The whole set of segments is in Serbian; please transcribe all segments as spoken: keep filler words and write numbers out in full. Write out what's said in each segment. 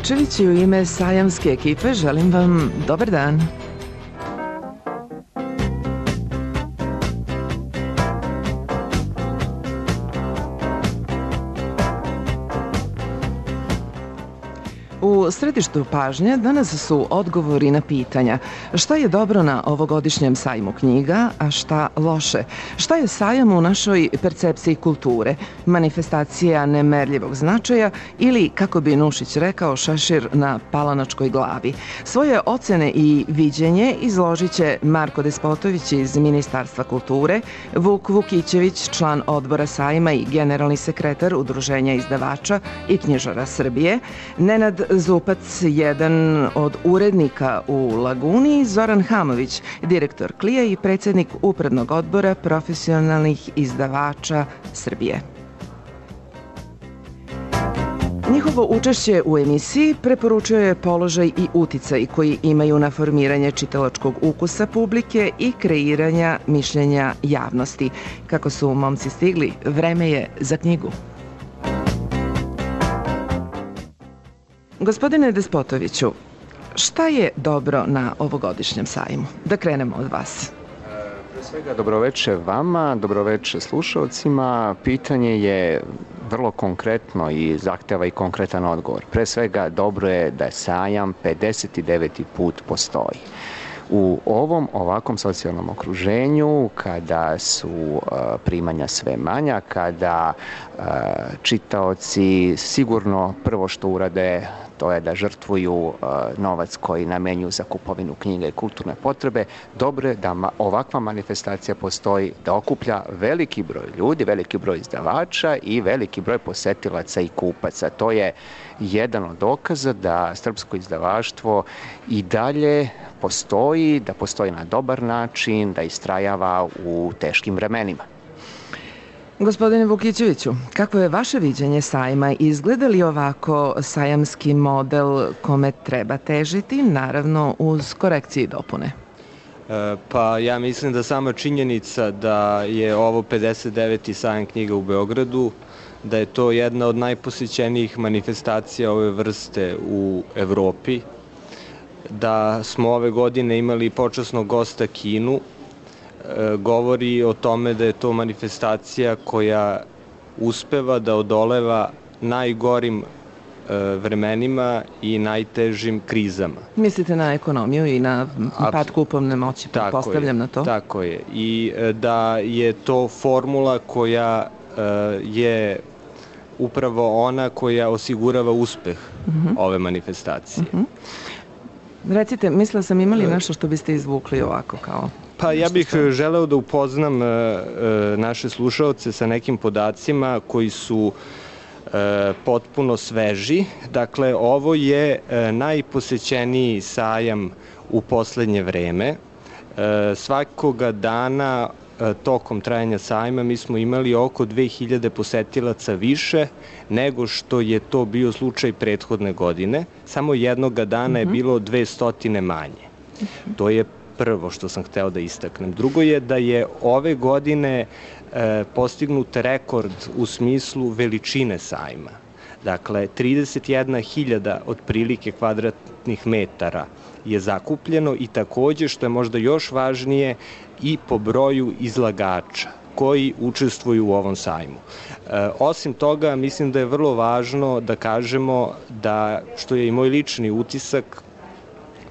Kovačević i u ime sajamske ekipe želim vam dobar dan. U središtu pažnje danas su odgovori na pitanja šta je dobro na ovogodišnjem sajmu knjiga, a šta loše. Šta je sajam u našoj percepciji kulture, manifestacija nemerljivog značaja ili, kako bi Nušić rekao, šešir na palanačkoj glavi. Svoje ocene i viđenje izložit će Marko Despotović iz Ministarstva kulture, Vuk Vukićević, član odbora sajma i generalni sekretar Udruženja izdavača i knjižara Srbije, Nenad Zupac, jedan od urednika u Laguni, Zoran Hamović, direktor Klija i predsjednik Upravnog odbora profesionalnih izdavača Srbije. Njihovo učešće u emisiji preporučio je položaj i uticaj koji imaju na formiranje čitalačkog ukusa publike i kreiranja mišljenja javnosti. Kako su momci stigli, vreme je za knjigu. Gospodine Despotoviću, šta je dobro na ovogodišnjem sajmu? Da krenemo od vas. Pre svega, dobroveče vama, dobroveče slušalcima. Pitanje je vrlo konkretno i zahteva i konkretan odgovor. Pre svega, dobro je da sajam pedeset deveti put postoji. U ovom ovakvom socijalnom okruženju, kada su uh, primanja sve manja, kada uh, čitaoci sigurno prvo što urade to je da žrtvuju uh, novac koji namenjuju za kupovinu knjiga i kulturne potrebe, dobro je da ma ovakva manifestacija postoji, da okuplja veliki broj ljudi, veliki broj izdavača i veliki broj posetilaca i kupaca. To je jedan od dokaza da srpsko izdavaštvo i dalje postoji, da postoji na dobar način, da istrajava u teškim vremenima. Gospodine Vukićeviću, kako je vaše viđenje sajma? Izgleda li ovako sajamski model kome treba težiti, naravno uz korekcije i dopune? E, pa ja mislim da sama činjenica da je ovo pedeset deveti sajam knjiga u Beogradu, da je to jedna od najposećenijih manifestacija ove vrste u Evropi, da smo ove godine imali počasnog gosta Kinu, govori o tome da je to manifestacija koja uspeva da odoleva najgorim vremenima i najtežim krizama. Mislite na ekonomiju i na pad kupovne moći, pretpostavljam na to? Tako je. I da je to formula koja je upravo ona koja osigurava uspeh uh-huh. ove manifestacije. Uh-huh. Recite, mislila sam imali nešto što biste izvukli ovako kao... Pa ja bih želeo da upoznam naše slušaoce sa nekim podacima koji su potpuno sveži. Dakle, ovo je najposećeniji sajam u poslednje vreme. Svakoga dana tokom trajanja sajma mi smo imali oko dve hiljade posetilaca više nego što je to bio slučaj prethodne godine. Samo jednoga dana je bilo dvestotine manje. To je prvo što sam hteo da istaknem. Drugo je da je ove godine e, postignut rekord u smislu veličine sajma. Dakle, trideset jedna hiljada otprilike kvadratnih metara je zakupljeno i takođe, što je možda još važnije, i po broju izlagača koji učestvuju u ovom sajmu. E, osim toga, mislim da je vrlo važno da kažemo da, što je i moj lični utisak,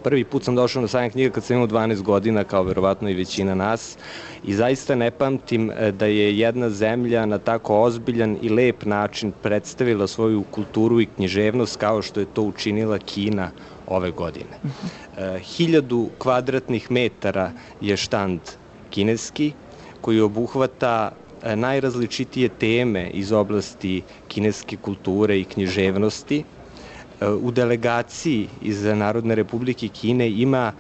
prvi put sam došao na sajam knjiga kad sam imao dvanaest godina, kao verovatno i većina nas, i zaista ne pamtim da je jedna zemlja na tako ozbiljan i lep način predstavila svoju kulturu i književnost kao što je to učinila Kina ove godine. Uh-huh. Hiljadu kvadratnih metara je štand kineski koji obuhvata najrazličitije teme iz oblasti kineske kulture i književnosti. U delegaciji iz Narodne Republike Kine ima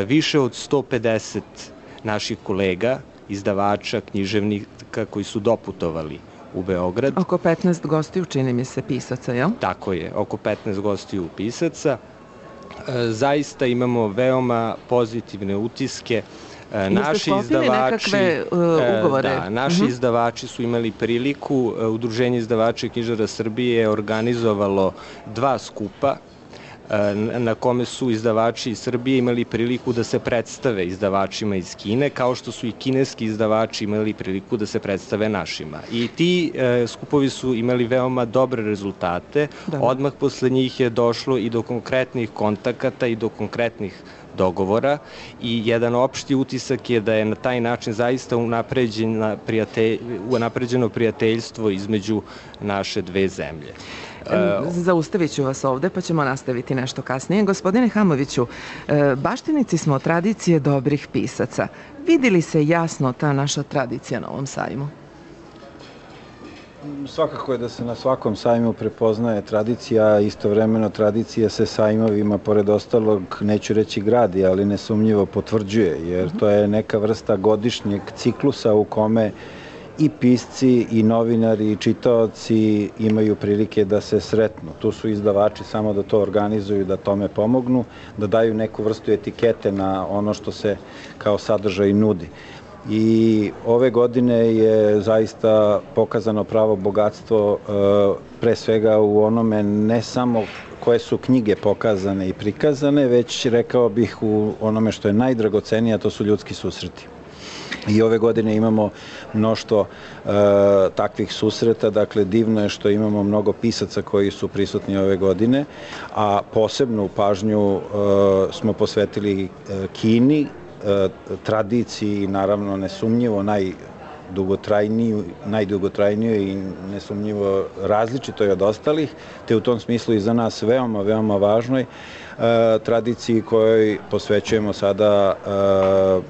više od sto pedeset naših kolega, izdavača, književnika koji su doputovali u Beograd. Oko petnaest gostiju, čini mi se, pisaca, jel? Tako je, oko petnaest gostiju pisaca. Zaista imamo veoma pozitivne utiske. Naši izdavači, nekakve uh, ugovore? Da, naši uh-huh. izdavači su imali priliku. Udruženje izdavača i knjižara Srbije je organizovalo dva skupa na kome su izdavači iz Srbije imali priliku da se predstave izdavačima iz Kine, kao što su i kineski izdavači imali priliku da se predstave našima. I ti skupovi su imali veoma dobre rezultate. Odmah posle njih je došlo i do konkretnih kontakata i do konkretnih dogovora i jedan opšti utisak je da je na taj način zaista unapređeno prijateljstvo između naše dve zemlje. Zaustavit ću vas ovde, pa ćemo nastaviti nešto kasnije. Gospodine Hamoviću, baštinici smo tradicije dobrih pisaca. Vidi li se jasno ta naša tradicija na ovom sajmu? Svakako je da se na svakom sajmu prepoznaje tradicija, istovremeno tradicija se sajmovima, pored ostalog, neću reći gradi, ali nesumnjivo potvrđuje, jer to je neka vrsta godišnjeg ciklusa u kome i pisci, i novinari, i čitaoci imaju prilike da se sretnu. Tu su izdavači samo da to organizuju, da tome pomognu, da daju neku vrstu etikete na ono što se kao sadržaj nudi. I ove godine je zaista pokazano pravo bogatstvo pre svega u onome ne samo koje su knjige pokazane i prikazane, već rekao bih u onome što je najdragocenije, a to su ljudski susreti. I ove godine imamo mnoštvo takvih susreta, dakle divno je što imamo mnogo pisaca koji su prisutni ove godine, a posebnu pažnju smo posvetili Kini, tradiciji, naravno nesumnjivo najdugotrajniju i nesumnjivo različitoj od ostalih, te u tom smislu i za nas veoma, veoma važnoj tradiciji kojoj posvećujemo sada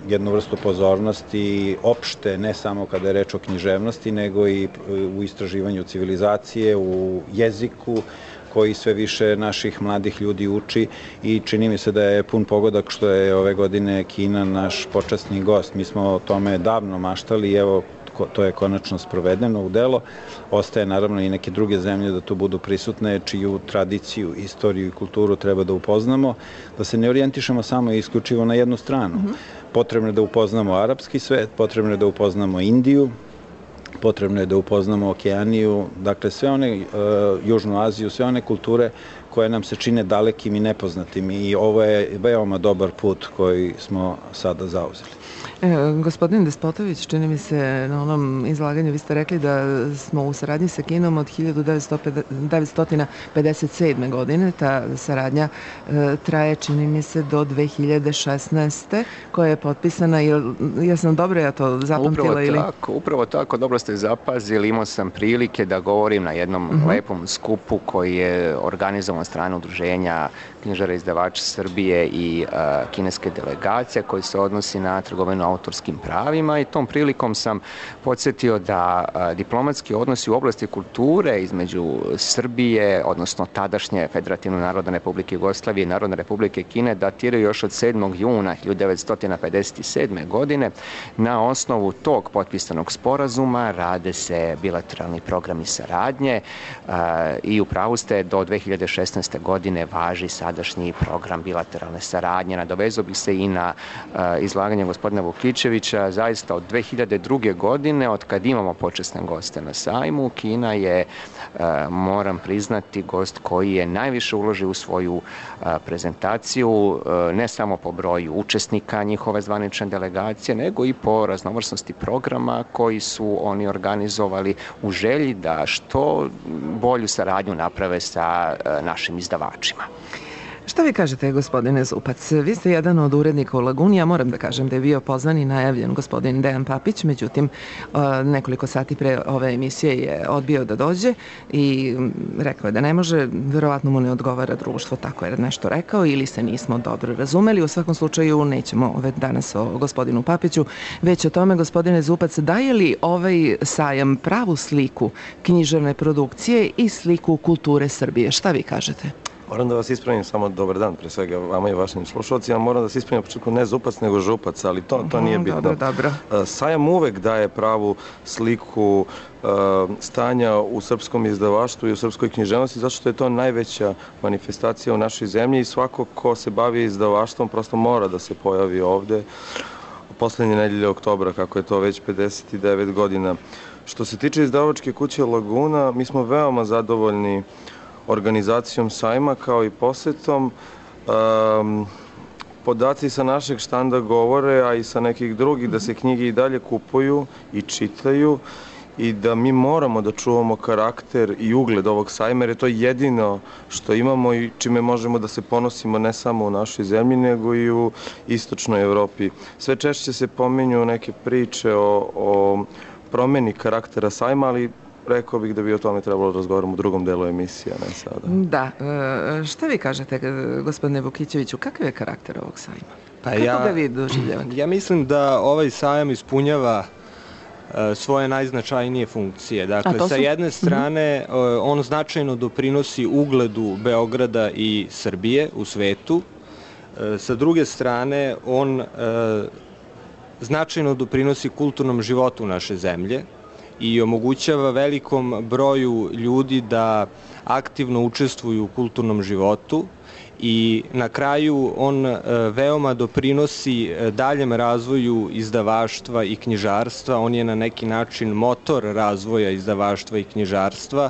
jednu vrstu pozornosti opšte, ne samo kada je reč o književnosti, nego i u istraživanju civilizacije, u jeziku, koji sve više naših mladih ljudi uči i čini mi se da je pun pogodak što je ove godine Kina naš počasni gost. Mi smo o tome davno maštali i evo to je konačno sprovedeno u delo. Ostaje naravno i neke druge zemlje da tu budu prisutne, čiju tradiciju, istoriju i kulturu treba da upoznamo, da se ne orijentišemo samo i isključivo na jednu stranu. Potrebno je da upoznamo arapski svet, potrebno je da upoznamo Indiju, potrebno je da upoznamo Okeaniju, dakle sve one, Južnu Aziju, sve one kulture koje nam se čine dalekim i nepoznatim i ovo je veoma dobar put koji smo sada zauzeli. Gospodin Despotović, čini mi se na onom izlaganju, vi ste rekli da smo u saradnji sa Kinom od hiljadu devetsto pedeset sedme. godine. Ta saradnja traje, čini mi se, do dve hiljade šesnaeste. koja je potpisana. Ja sam dobro ja to zapamtila? Upravo tako, upravo tako, dobro ste zapazili. Imao sam prilike da govorim na jednom lepom skupu koji je organizovan od strane udruženja knjižara izdavača Srbije i kineske delegacije koji se odnosi na trgovinu autorskim pravima i tom prilikom sam podsjetio da diplomatski odnosi u oblasti kulture između Srbije, odnosno tadašnje Federativne Narodne Republike Jugoslavije i Narodne Republike Kine datiraju još od sedmog juna hiljadu devetsto pedeset sedme. godine. Na osnovu tog potpisanog sporazuma rade se bilateralni programi saradnje i upravo ste do dve hiljade šesnaeste. godine važi sadašnji program bilateralne saradnje. Nadovezao bih se i na izlaganje gospodina Vukičevića. Zaista od dve hiljade druge. godine, od kad imamo počasne goste na sajmu, Kina je, moram priznati, gost koji je najviše uložio u svoju prezentaciju, ne samo po broju učesnika njihove zvanične delegacije, nego i po raznovrsnosti programa koji su oni organizovali u želji da što bolju saradnju naprave sa našim izdavačima. Šta vi kažete, gospodine Zupac? Vi ste jedan od urednika u Laguni. Ja moram da kažem da je bio pozvan i najavljen gospodin Dejan Papić, međutim nekoliko sati pre ove emisije je odbio da dođe i rekao je da ne može, verovatno mu ne odgovara društvo, tako je nešto rekao ili se nismo dobro razumeli. U svakom slučaju nećemo danas o gospodinu Papiću, već o tome, gospodine Zupac, daje li ovaj sajam pravu sliku književne produkcije i sliku kulture Srbije? Šta vi kažete? Moram da vas ispravim, samo dobar dan, pre svega vama i vašim slušalcima. Moram da se ispravim na početku ne Zupac, nego Župac, ali to, to nije bitno. Dobro, dobro. Sajam uvek daje pravu sliku stanja u srpskom izdavaštvu i u srpskoj književnosti, zato što je to najveća manifestacija u našoj zemlji i svako ko se bavi izdavaštvom prosto mora da se pojavi ovde poslednje nedelje oktobra, kako je to već pedeset devet godina. Što se tiče izdavačke kuće Laguna, mi smo veoma zadovoljni organizacijom sajma kao i posetom. Um, Podaci sa našeg štanda govore, a i sa nekih drugih, da se knjige i dalje kupuju i čitaju i da mi moramo da čuvamo karakter i ugled ovog sajma, jer je to jedino što imamo i čime možemo da se ponosimo ne samo u našoj zemlji, nego i u istočnoj Evropi. Sve češće se pominju neke priče o, o promeni karaktera sajma, ali rekao bih da bi o tome trebalo razgovarati u drugom delu emisije, ne sada. Da. Šta vi kažete, gospodine Vukićeviću, kakav je karakter ovog sajma? Pa Kako ja, ga vi doživljavate? Ja mislim da ovaj sajam ispunjava svoje najznačajnije funkcije. Dakle, sa jedne strane, on značajno doprinosi ugledu Beograda i Srbije u svetu. Sa druge strane, on značajno doprinosi kulturnom životu naše zemlje i omogućava velikom broju ljudi da aktivno učestvuju u kulturnom životu i na kraju on veoma doprinosi daljem razvoju izdavaštva i knjižarstva. On je na neki način motor razvoja izdavaštva i knjižarstva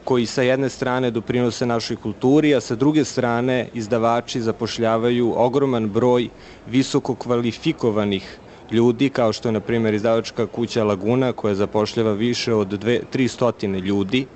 koji sa jedne strane doprinose našoj kulturi, a sa druge strane izdavači zapošljavaju ogroman broj visoko kvalifikovanih ljudi, kao što je, na primjer, izdavačka kuća Laguna, koja zapošljava više od tristo ljudi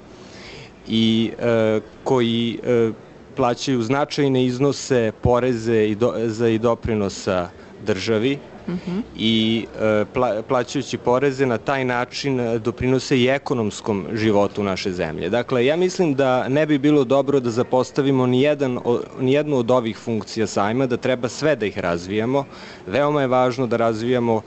i e, koji e, plaćaju značajne iznose poreze i, do, za i doprinosa državi. Mm-hmm. I e, pla, plaćajući poreze na taj način doprinose i ekonomskom životu naše zemlje. Dakle, ja mislim da ne bi bilo dobro da zapostavimo ni, jedan, ni jednu od ovih funkcija sajma, da treba sve da ih razvijamo. Veoma je važno da razvijamo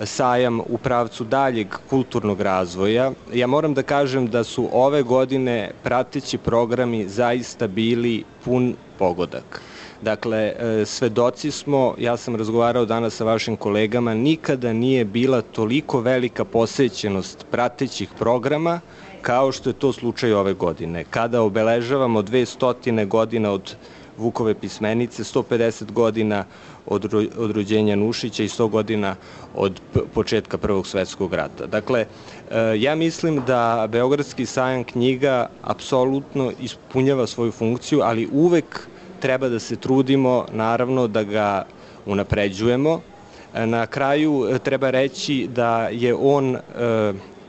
sajam u pravcu daljeg kulturnog razvoja. Ja moram da kažem da su ove godine prateći programi zaista bili pun pogodak. Dakle, svedoci smo, ja sam razgovarao danas sa vašim kolegama, nikada nije bila toliko velika posećenost pratećih programa kao što je to slučaj ove godine. Kada obeležavamo dvesta godina od Vukove pismenice, sto pedeset godina od, od rođenja Nušića i sto godina od početka Prvog svetskog rata. Dakle, ja mislim da Beogradski sajam knjiga apsolutno ispunjava svoju funkciju, ali uvek treba da se trudimo, naravno, da ga unapređujemo. Na kraju treba reći da je on e,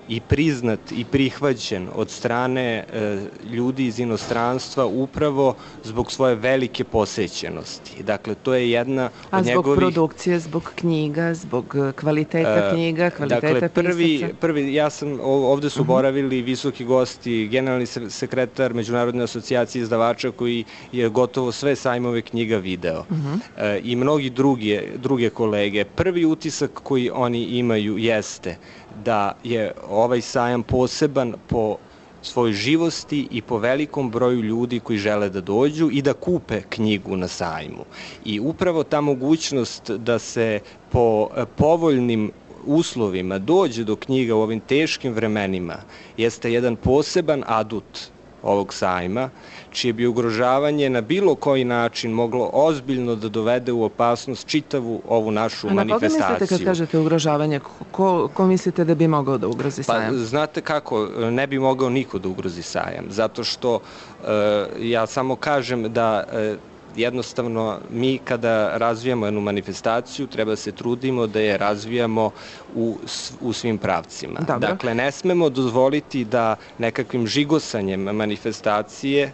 i priznat i prihvaćen od strane e, ljudi iz inostranstva upravo zbog svoje velike posećenosti. Dakle, to je jedna od njegovih... A zbog produkcije, zbog knjiga, zbog kvaliteta knjiga, kvaliteta dakle, prvi, pisaca? Prvi, ja sam, ovde su boravili visoki gosti, generalni sekretar Međunarodne asocijacije izdavača koji je gotovo sve sajmove knjiga video. Uh-huh. e, I mnogi druge, druge kolege. Prvi utisak koji oni imaju jeste da je ovaj sajam poseban po svojoj živosti i po velikom broju ljudi koji žele da dođu i da kupe knjigu na sajmu. I upravo ta mogućnost da se po povoljnim uslovima dođe do knjiga u ovim teškim vremenima jeste jedan poseban adut ovog sajma, čije bi ugrožavanje na bilo koji način moglo ozbiljno da dovede u opasnost čitavu ovu našu manifestaciju. A na koga mislite kad kažete ugrožavanje? Ko, ko mislite da bi mogao da ugrozi sajam? Pa, znate kako, ne bi mogao niko da ugrozi sajam, zato što e, ja samo kažem da e, jednostavno mi kada razvijamo jednu manifestaciju treba da se trudimo da je razvijamo u, u svim pravcima. Dobro. Dakle, ne smemo dozvoliti da nekakvim žigosanjem manifestacije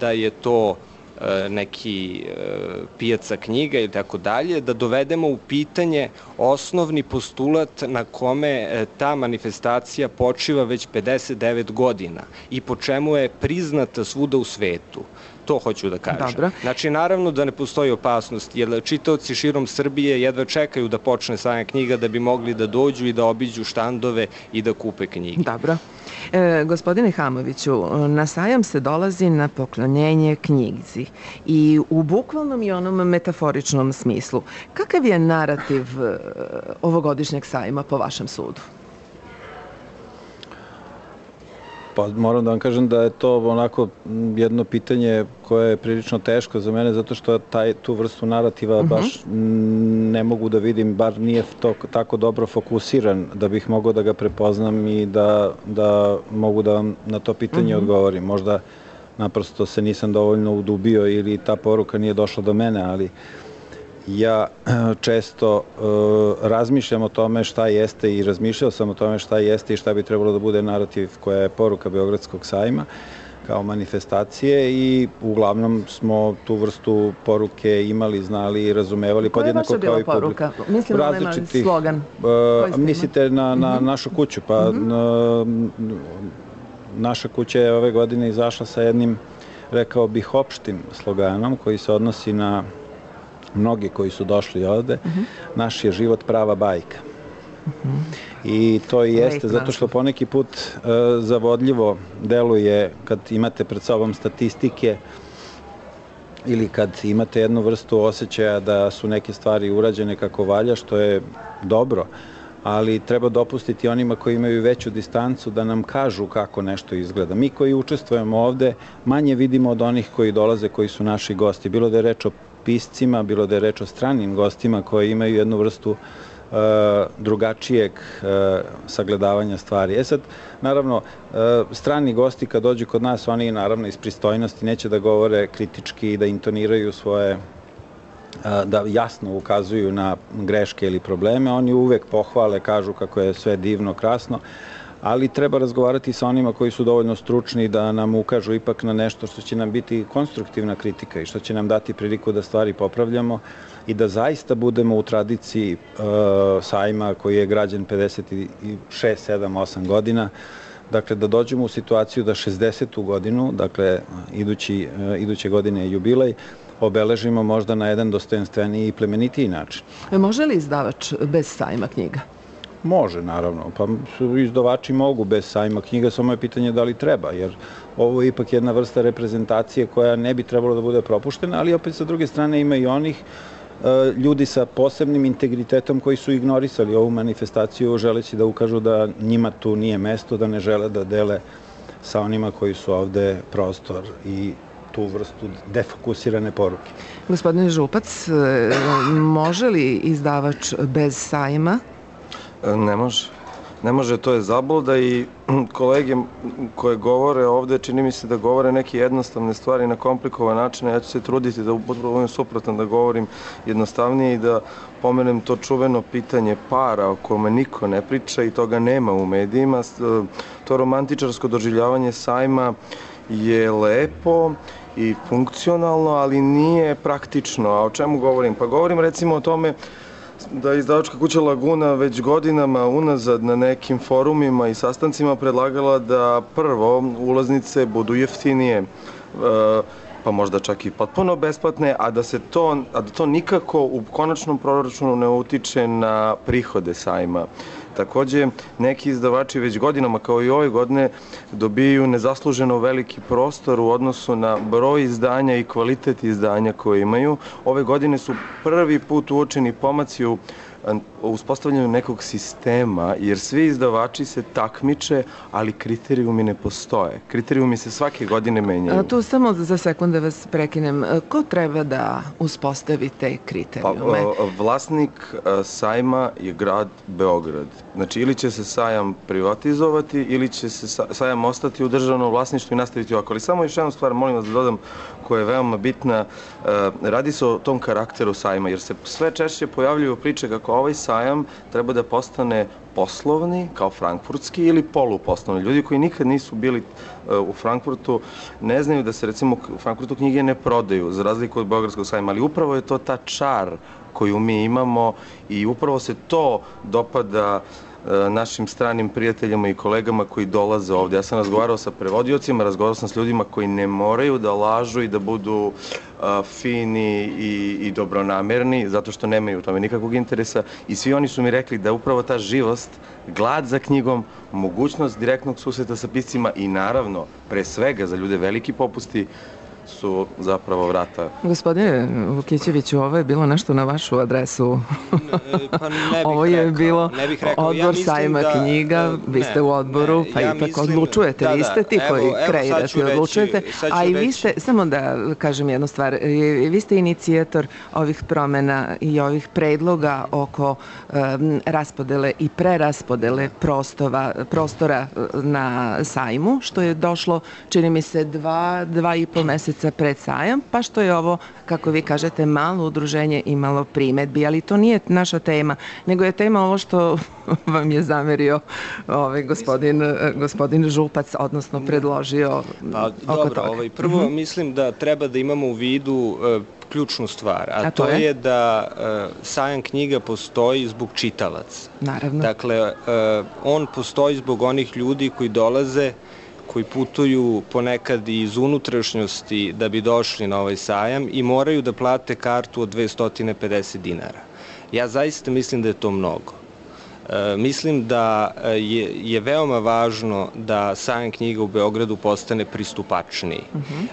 da je to neki pijaca knjiga ili tako dalje, da dovedemo u pitanje osnovni postulat na kome ta manifestacija počiva već pedeset devet godina i po čemu je priznata svuda u svetu. To hoću da kažem. Dobro. Znači, naravno da ne postoji opasnost, jer čitaoci širom Srbije jedva čekaju da počne sajam knjiga da bi mogli da dođu i da obiđu štandove i da kupe knjige. Dobro. E, gospodine Hamoviću, na sajam se dolazi na poklonjenje knjizi i u bukvalnom i onom metaforičnom smislu. Kakav je narativ ovogodišnjeg sajma po vašem sudu? Pa moram da vam kažem da je to onako jedno pitanje koje je prilično teško za mene, zato što taj, tu vrstu narativa uh-huh. baš ne mogu da vidim, bar nije to tako dobro fokusiran da bih mogao da ga prepoznam i da, da mogu da vam na to pitanje uh-huh. odgovorim. Možda naprosto se nisam dovoljno udubio ili ta poruka nije došla do mene, ali ja često uh, razmišljam o tome šta jeste i razmišljao sam o tome šta jeste i šta bi trebalo da bude narativ koja je poruka Beogradskog sajma kao manifestacije i uglavnom smo tu vrstu poruke imali, znali i razumevali podjednako kao i publika. Koja je vaša bila poruka? Mislim da nema slogan. Uh, mislite na, na mm-hmm. našu kuću? Pa mm-hmm. na, naša kuća je ove godine izašla sa jednim, rekao bih, opštim sloganom koji se odnosi na mnogi koji su došli ovde. Mm-hmm. Naš je život prava bajka. Mm-hmm. I to i jeste, zato što poneki put uh, zavodljivo deluje kad imate pred sobom statistike ili kad imate jednu vrstu osjećaja da su neke stvari urađene kako valja, što je dobro, ali treba dopustiti onima koji imaju veću distancu da nam kažu kako nešto izgleda. Mi koji učestvujemo ovde manje vidimo od onih koji dolaze, koji su naši gosti. Bilo da je reč o piscima, bilo da je reč o stranim gostima koji imaju jednu vrstu Uh, drugačijeg uh, sagledavanja stvari. E sad, naravno, uh, strani gosti kad dođu kod nas, oni naravno iz pristojnosti neće da govore kritički i da intoniraju svoje, uh, da jasno ukazuju na greške ili probleme. Oni uvek pohvale, kažu kako je sve divno, krasno, ali treba razgovarati sa onima koji su dovoljno stručni da nam ukažu ipak na nešto što će nam biti konstruktivna kritika i što će nam dati priliku da stvari popravljamo i da zaista budemo u tradiciji uh, sajma koji je građen pedeset šest, sedam, osam godina. Dakle, da dođemo u situaciju da šezdesetu godinu, dakle, idući, uh, iduće godine je jubilej, obeležimo možda na jedan dostojanstveniji i plemenitiji način. Može li izdavač bez sajma knjiga? Može, naravno. Pa izdavači mogu bez sajma knjiga, samo je pitanje da li treba, jer ovo je ipak jedna vrsta reprezentacije koja ne bi trebalo da bude propuštena, ali opet sa druge strane ima i onih ljudi sa posebnim integritetom koji su ignorisali ovu manifestaciju želeći da ukažu da njima tu nije mesto, da ne žele da dele sa onima koji su ovde prostor i tu vrstu defokusirane poruke. Gospodine Župac, može li izdavač bez sajma? Ne može. Ne može, to je zabluda i kolege koje govore ovde, čini mi se da govore neke jednostavne stvari na komplikovan način, ja ću se truditi da budem suprotan, da govorim jednostavnije i da pomenem to čuveno pitanje para o kome niko ne priča i toga nema u medijima. To romantičarsko doživljavanje sajma je lepo i funkcionalno, ali nije praktično. A o čemu govorim? Pa govorim recimo o tome da je izdavačka kuća Laguna već godinama unazad na nekim forumima i sastancima predlagala da prvo ulaznice budu jeftinije, pa možda čak i potpuno besplatne, a da se to, a da to nikako u konačnom proračunu ne utiče na prihode sajma. Takođe, neki izdavači već godinama, kao i ove godine, dobijaju nezasluženo veliki prostor u odnosu na broj izdanja i kvalitet izdanja koje imaju. Ove godine su prvi put uočeni pomaci u uspostavljanju nekog sistema, jer svi izdavači se takmiče, ali kriterijumi ne postoje. Kriterijumi se svake godine menjaju. A tu samo za sekund da vas prekinem. Ko treba da uspostavi te kriterijume? Pa, vlasnik sajma je grad Beograd. Znači, ili će se sajam privatizovati, ili će se sajam ostati u državnom vlasništvu i nastaviti ovako. Ali samo još jednu stvar, molim vas da dodam, koja je veoma bitna. Radi se o tom karakteru sajma, jer se sve češće pojavljuju priče kako ovaj sajam treba da postane poslovni, kao frankfurtski, ili poluposlovni. Ljudi koji nikad nisu bili u Frankfurtu ne znaju da se, recimo, u Frankfurtu knjige ne prodaju, za razliku od Beogradskog sajma, ali upravo je to ta čar koju mi imamo i upravo se to dopada našim stranim prijateljima i kolegama koji dolaze ovde. Ja sam razgovarao sa prevodiocima, razgovarao sam s ljudima koji ne moraju da lažu i da budu uh, fini i, i dobronamerni, zato što nemaju u tome nikakvog interesa i svi oni su mi rekli da upravo ta živost, glad za knjigom, mogućnost direktnog susreta sa piscima i naravno, pre svega za ljude veliki popusti, su zapravo vrata. Gospodine Vukićeviću, ovo je bilo nešto na vašu adresu. Pa ne bih Ovo je rekao, bilo ne bih rekao. odbor Ja mislim sajma da, knjiga, vi ne, ste u odboru, ne, pa ja ipak mislim- odlučujete, da, vi da, ste ti evo- koji evo sad ću kreirate i reći- odlučujete, sad ću a i vi reći- ste, samo da kažem jednu stvar, i- vi ste inicijator ovih promena i ovih predloga oko em, raspodele i preraspodele prostora, prostora e, na sajmu, što je došlo, čini mi se, dva, dva i po meseca pred sajam, pa što je ovo, kako vi kažete, malo udruženje imalo primedbi, ali to nije naša tema, nego je tema ovo što vam je zamerio ovaj gospodin, e, gospodin Župac, odnosno predložio Pa oko dobro, toga. ovaj, prvo mislim da treba da imamo u vidu e, ključnu stvar, a, A to to je? je da e, sajam knjiga postoji zbog čitalaca. Naravno. Dakle, e, on postoji zbog onih ljudi koji dolaze, koji putuju ponekad i iz unutrašnjosti da bi došli na ovaj sajam i moraju da plate kartu od dvesta pedeset dinara. Ja zaista mislim da je to mnogo. E, mislim da je, je veoma važno da sajam knjiga u Beogradu postane pristupačniji.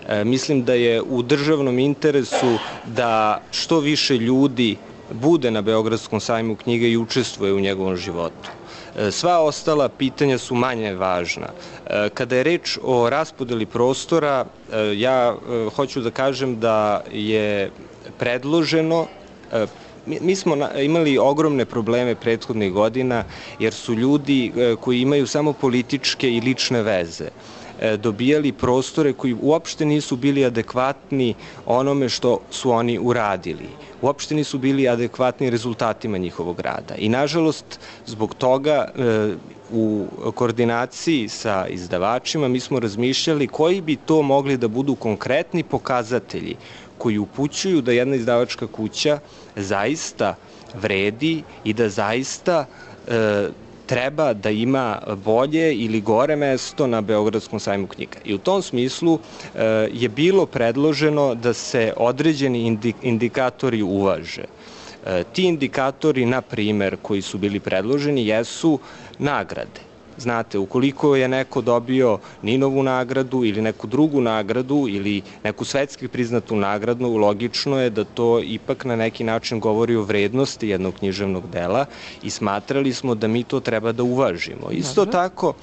E, mislim da je u državnom interesu da što više ljudi bude na Beogradskom sajmu knjiga i učestvuje u njegovom životu. E, Sva ostala pitanja su manje važna. E, Kada je reč o raspodeli prostora, e, ja e, hoću da kažem da je predloženo, e, Mi, mi smo na, imali ogromne probleme prethodnih godina jer su ljudi e, koji imaju samo političke i lične veze e, dobijali prostore koji uopšte nisu bili adekvatni onome što su oni uradili. Uopšte nisu bili adekvatni rezultatima njihovog rada. I nažalost, zbog toga e, u koordinaciji sa izdavačima mi smo razmišljali koji bi to mogli da budu konkretni pokazatelji koji upućuju da jedna izdavačka kuća zaista vredi i da zaista e, treba da ima bolje ili gore mesto na Beogradskom sajmu knjiga. I u tom smislu e, je bilo predloženo da se određeni indi, indikatori uvaže. E, ti indikatori, na primer, koji su bili predloženi, jesu nagrade. Znate, ukoliko je neko dobio Ninovu nagradu ili neku drugu nagradu ili neku svetski priznatu nagradu, logično je da to ipak na neki način govori o vrednosti jednog književnog dela i smatrali smo da mi to treba da uvažimo. Isto tako,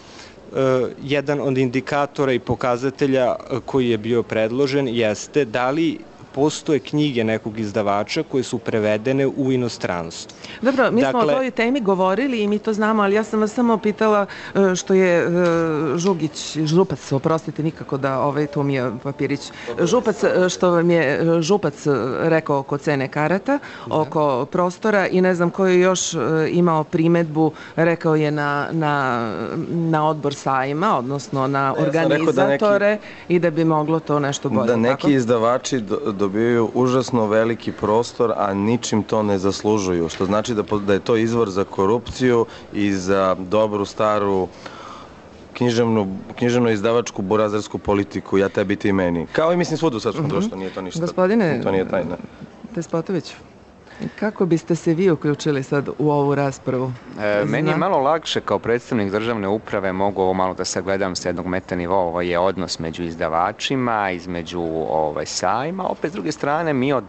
jedan od indikatora i pokazatelja koji je bio predložen jeste da li postoje knjige nekog izdavača koje su prevedene u inostranstvu. Dobro, mi Dakle, smo o toj temi govorili i mi to znamo, ali ja sam vas samo pitala e, što je e, Žugić, Župac, oprostite nikako da, ovaj, to mi je papirić, Župac, e, što vam je e, Župac rekao oko cene karata, oko prostora i ne znam ko je još e, imao primedbu, rekao je na, na, na odbor sajma, odnosno na Ja sam rekao da organizatore neki- i da bi moglo to nešto bolje. Da neki tako? izdavači do- dobijaju užasno veliki prostor, a ničim to ne zaslužuju, što znači da, po- da je to izvor za korupciju i za dobru staru književnu, književno izdavačku burazersku politiku, ja tebi ti meni. Kao i mislim svud u srpskom društvu, nije to ništa. Gospodine to nije tajna. Despotoviću, kako biste se vi uključili sad u ovu raspravu? E, meni je Zna- malo lakše kao predstavnik državne uprave, mogu ovo malo da sagledam sa jednog meta nivoa, ovo je odnos među izdavačima, između ovaj, sajma, opet s druge strane mi od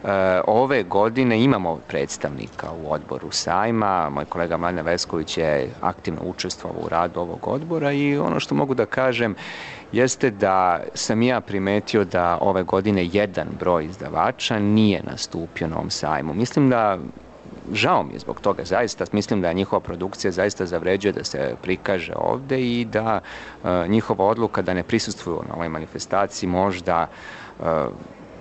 e, ove godine imamo predstavnika u odboru sajma, moj kolega Mladen Vesković je aktivno učestvovao u radu ovog odbora i ono što mogu da kažem jeste da sam ja primetio da ove godine jedan broj izdavača nije nastupio na ovom sajmu. Mislim da žao mi je zbog toga, zaista mislim da njihova produkcija zaista zavređuje da se prikaže ovde i da e, njihova odluka da ne prisustvuju na ovoj manifestaciji možda e,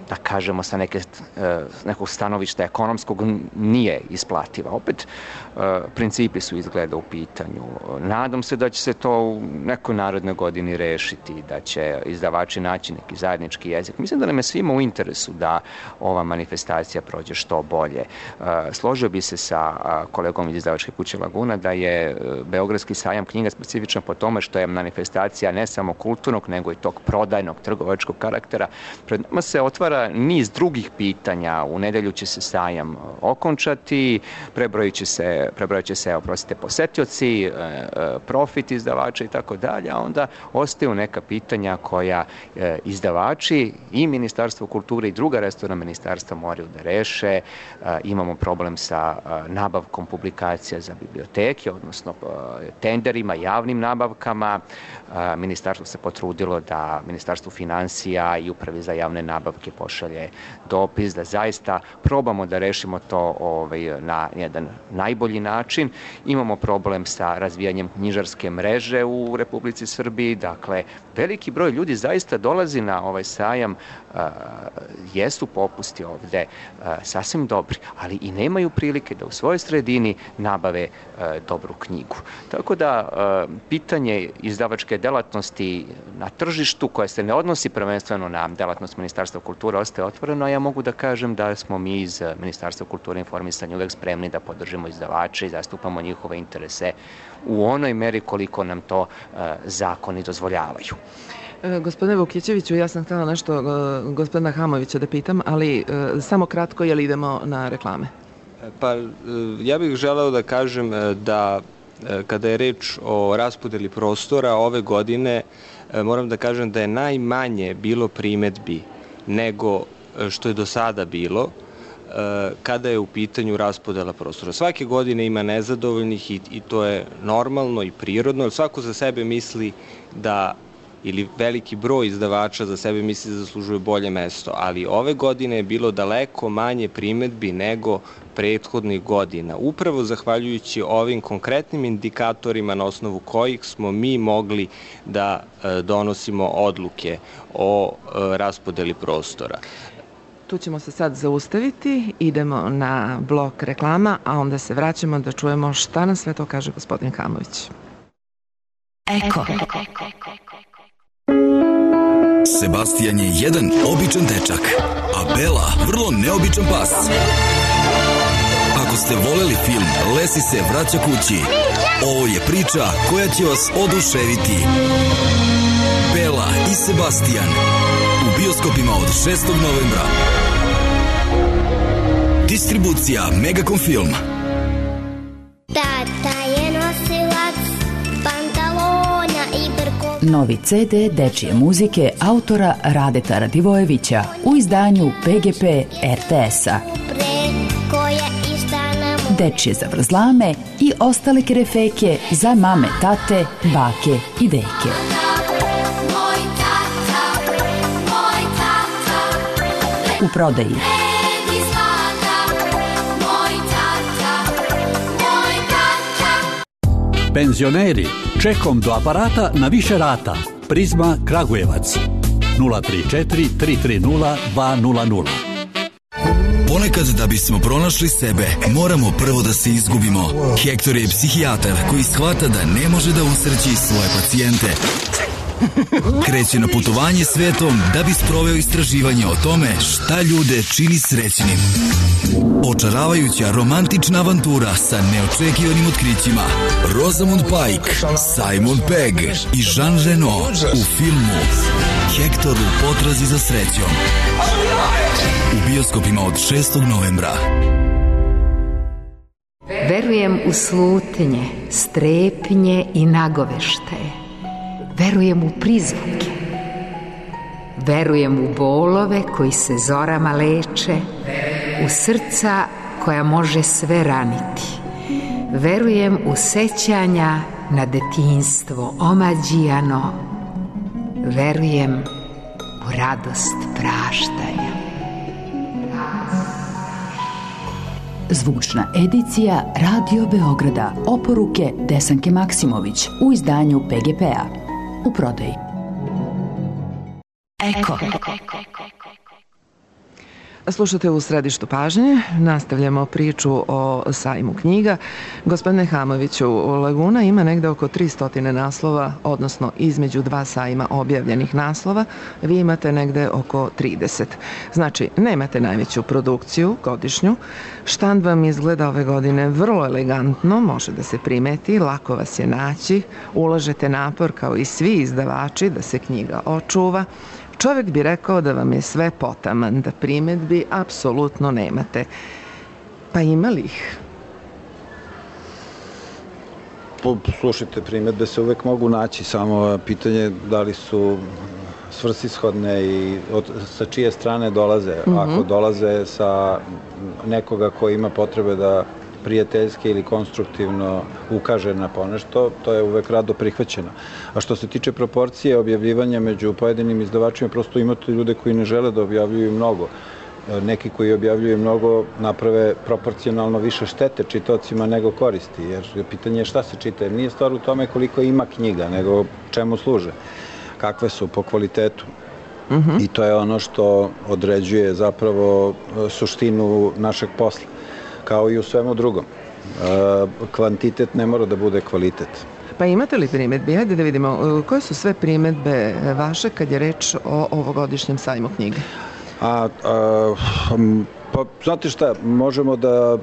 da kažemo sa neke, e, nekog stanovišta ekonomskog nije isplativa. Opet, e, principi su izgleda u pitanju. Nadam se da će se to u nekoj narodnoj godini rešiti, da će izdavači naći neki zajednički jezik. Mislim da nam je svima u interesu da ova manifestacija prođe što bolje. E, složio bi se sa kolegom iz izdavačke kuće Laguna da je Beogradski sajam knjiga specifičan po tome što je manifestacija ne samo kulturnog, nego i tog prodajnog, trgovačkog karaktera. Pred nama se otvara onda niz drugih pitanja. U nedelju će se sajam okončati, prebrojit će se, prebrojit će se, oprostite, posetioci, profit izdavača i tako dalje, a onda ostaju neka pitanja koja izdavači i Ministarstvo kulture i druga resorna ministarstva moraju da reše. Imamo problem sa nabavkom publikacija za biblioteke, odnosno tenderima, javnim nabavkama. Ministarstvo se potrudilo da Ministarstvo finansija i Upravi za javne nabavke pošalje dopis da zaista probamo da rešimo to ovaj, na jedan najbolji način. Imamo problem sa razvijanjem knjižarske mreže u Republici Srbiji, dakle veliki broj ljudi zaista dolazi na ovaj sajam, a, jesu popusti ovde a, sasvim dobri, ali i nemaju prilike da u svojoj sredini nabave a, dobru knjigu. Tako da a, pitanje izdavačke delatnosti na tržištu koje se ne odnosi prvenstveno na delatnost Ministarstva kulture ostaje otvoreno, a ja mogu da kažem da smo mi iz Ministarstva kulture i informisanja uvek spremni da podržimo izdavače i zastupamo njihove interese u onoj meri koliko nam to a, zakoni dozvoljavaju. Gospodine Vukićeviću, ja sam htjela nešto gospodina Hamovića da pitam, ali samo kratko, jel idemo na reklame? Pa ja bih želeo da kažem da kada je reč o raspodeli prostora ove godine, moram da kažem da je najmanje bilo primetbi nego što je do sada bilo kada je u pitanju raspodela prostora. Svake godine ima nezadovoljnih i, i to je normalno i prirodno, jer svako za sebe misli da ili veliki broj izdavača za sebe misli da zaslužuje bolje mesto, ali ove godine je bilo daleko manje primetbi nego prethodnih godina. Upravo zahvaljujući ovim konkretnim indikatorima na osnovu kojih smo mi mogli da donosimo odluke o raspodeli prostora. Tu ćemo se sad zaustaviti, idemo na blok reklama, a onda se vraćamo da čujemo šta nam sve to kaže gospodin Hamović. Eko. Sebastian je jedan običan dečak, a Bela vrlo neobičan pas. Ako ste voleli film Lesi se vraća kući, ovo je priča koja će vas oduševiti. Bela i Sebastian u bioskopima od šestog novembra. Distribucija Megacom Film. Tata je nosilac pantalona i brko. Novi ce de dečije muzike autora Radeta Radivojevića u izdanju pe ge pe er te es-a. Dečije zavrzlame i ostale kerefeke za mame, tate, bake i deke. U prodaji. Penzioneri, čekom do aparata na više rata. Prizma Kragujevac nula tri četiri tri tri nula dva nula nula. Ponekad da bismo pronašli sebe, moramo prvo da se izgubimo. Hektor je psihijatar koji shvata da ne može da usreći svoje pacijente. Kreće na putovanje svetom da bi sproveo istraživanje o tome šta ljude čini srećnim. Očaravajuća romantična avantura sa neočekivanim otkrićima. Rosamund Pike, Simon Pegg i Jean Reno u filmu Hektor u potrazi za srećom. U bioskopima od šestog novembra. Verujem u slutnje, strepnje i nagoveštaje. Verujem u prizvuke. Verujem u bolove koji se zorama leče, u srca koja može sve raniti. Verujem u sećanja na detinjstvo omađijano. Verujem u radost praštanja. Zvučna edicija Radio Beograda. Oporuke Desanke Maksimović u izdanju pe ge pe-a. U prodaji. Eko. Slušate u središtu pažnje, nastavljamo priču o sajmu knjiga. Gospodine Hamoviću, Laguna ima negde oko tristo naslova, odnosno između dva sajma objavljenih naslova, vi imate negde oko trideset. Znači, nemate najveću produkciju godišnju, štand vam izgleda ove godine vrlo elegantno, može da se primeti, lako vas je naći, ulažete napor kao i svi izdavači da se knjiga očuva. Čovjek bi rekao da vam je sve potaman, da primedbi apsolutno nemate. Pa ima li ih? Slušajte, primedbe se uvek mogu naći, samo pitanje da li su svrsishodne i od, sa čije strane dolaze. Mm-hmm. Ako dolaze sa nekoga ko ima potrebe da prijateljski ili konstruktivno ukaže na ponešto, to je uvek rado prihvaćeno. A što se tiče proporcije objavljivanja među pojedinim izdavačima, prosto imate ljude koji ne žele da objavljuju mnogo. Neki koji objavljuju mnogo naprave proporcionalno više štete čitaocima nego koristi, jer pitanje je šta se čita, jer nije stvar u tome koliko ima knjiga, nego čemu služe, kakve su po kvalitetu. Mm-hmm. I to je ono što određuje zapravo suštinu našeg posla, kao i u svemu drugom. Kvantitet ne mora da bude kvalitet. Pa imate li primedbe? Hajde da vidimo, koje su sve primedbe vaše kad je reč o ovogodišnjem sajmu knjige? A, a, pa, znate šta, možemo da,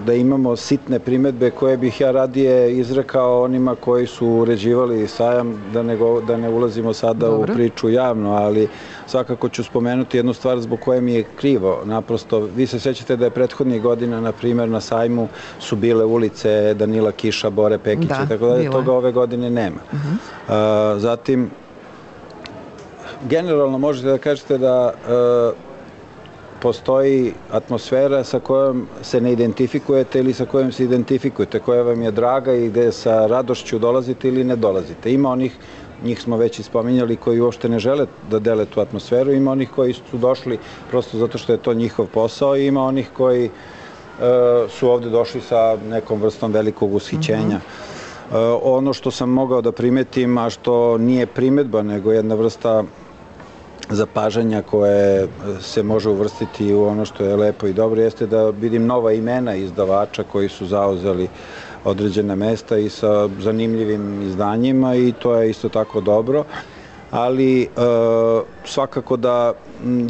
da imamo sitne primedbe koje bih ja radije izrekao onima koji su uređivali sajam, da ne, go, da ne ulazimo sada Dobro. u priču javno, ali svakako ću spomenuti jednu stvar zbog koje mi je krivo. Naprosto, vi se sećate da je prethodnih godina, na primjer, na sajmu su bile ulice Danila Kiša, Bore Pekića, da, tako da je toga ove godine nema. Uh-huh. a, zatim, generalno možete da kažete da e, postoji atmosfera sa kojom se ne identifikujete ili sa kojom se identifikujete, koja vam je draga i gde sa radošću dolazite ili ne dolazite. Ima onih, njih smo već ispominjali, koji uopšte ne žele da dele tu atmosferu, ima onih koji su došli prosto zato što je to njihov posao i ima onih koji e, su ovde došli sa nekom vrstom velikog ushićenja. Mm-hmm. e, ono što sam mogao da primetim, a što nije primedba, nego jedna vrsta zapažanja koje se može uvrstiti u ono što je lepo i dobro, jeste da vidim nova imena izdavača koji su zauzeli određene mesta i sa zanimljivim izdanjima i to je isto tako dobro, ali e, svakako da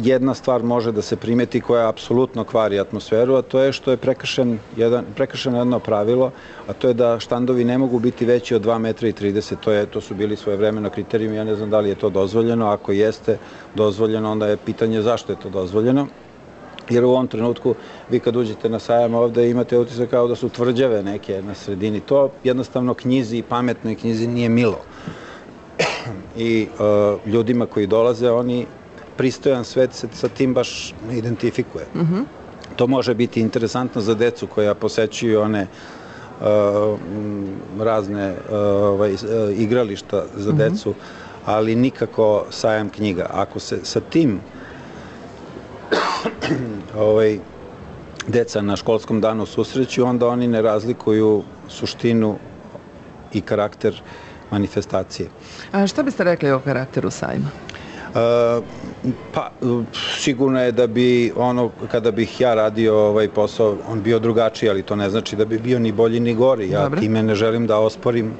jedna stvar može da se primeti koja apsolutno kvari atmosferu, a to je što je prekršen jedan, prekršeno jedno pravilo, a to je da štandovi ne mogu biti veći od dva metra i trideset. To, je, to su bili svojevremeno kriterijumi, ja ne znam da li je to dozvoljeno, ako jeste dozvoljeno, onda je pitanje zašto je to dozvoljeno. Jer u ovom trenutku vi kad uđete na sajam ovde imate utisak kao da su tvrđave neke na sredini. To jednostavno knjizi i pametnoj knjizi nije milo. I uh, ljudima koji dolaze, oni pristojan svet se sa tim baš ne identifikuje. Mm-hmm. To može biti interesantno za decu koja posećuju one uh, razne uh, ovaj, uh, igrališta za mm-hmm. decu, ali nikako sajam knjiga. Ako se sa tim ovaj, deca na školskom danu susreću, onda oni ne razlikuju suštinu i karakter manifestacije. A šta biste rekli o karakteru sajma? Uh, pa, sigurno je da bi ono, kada bih ja radio ovaj posao, on bio drugačiji, ali to ne znači da bi bio ni bolji ni gori. Ja Dobre. time ne želim da osporim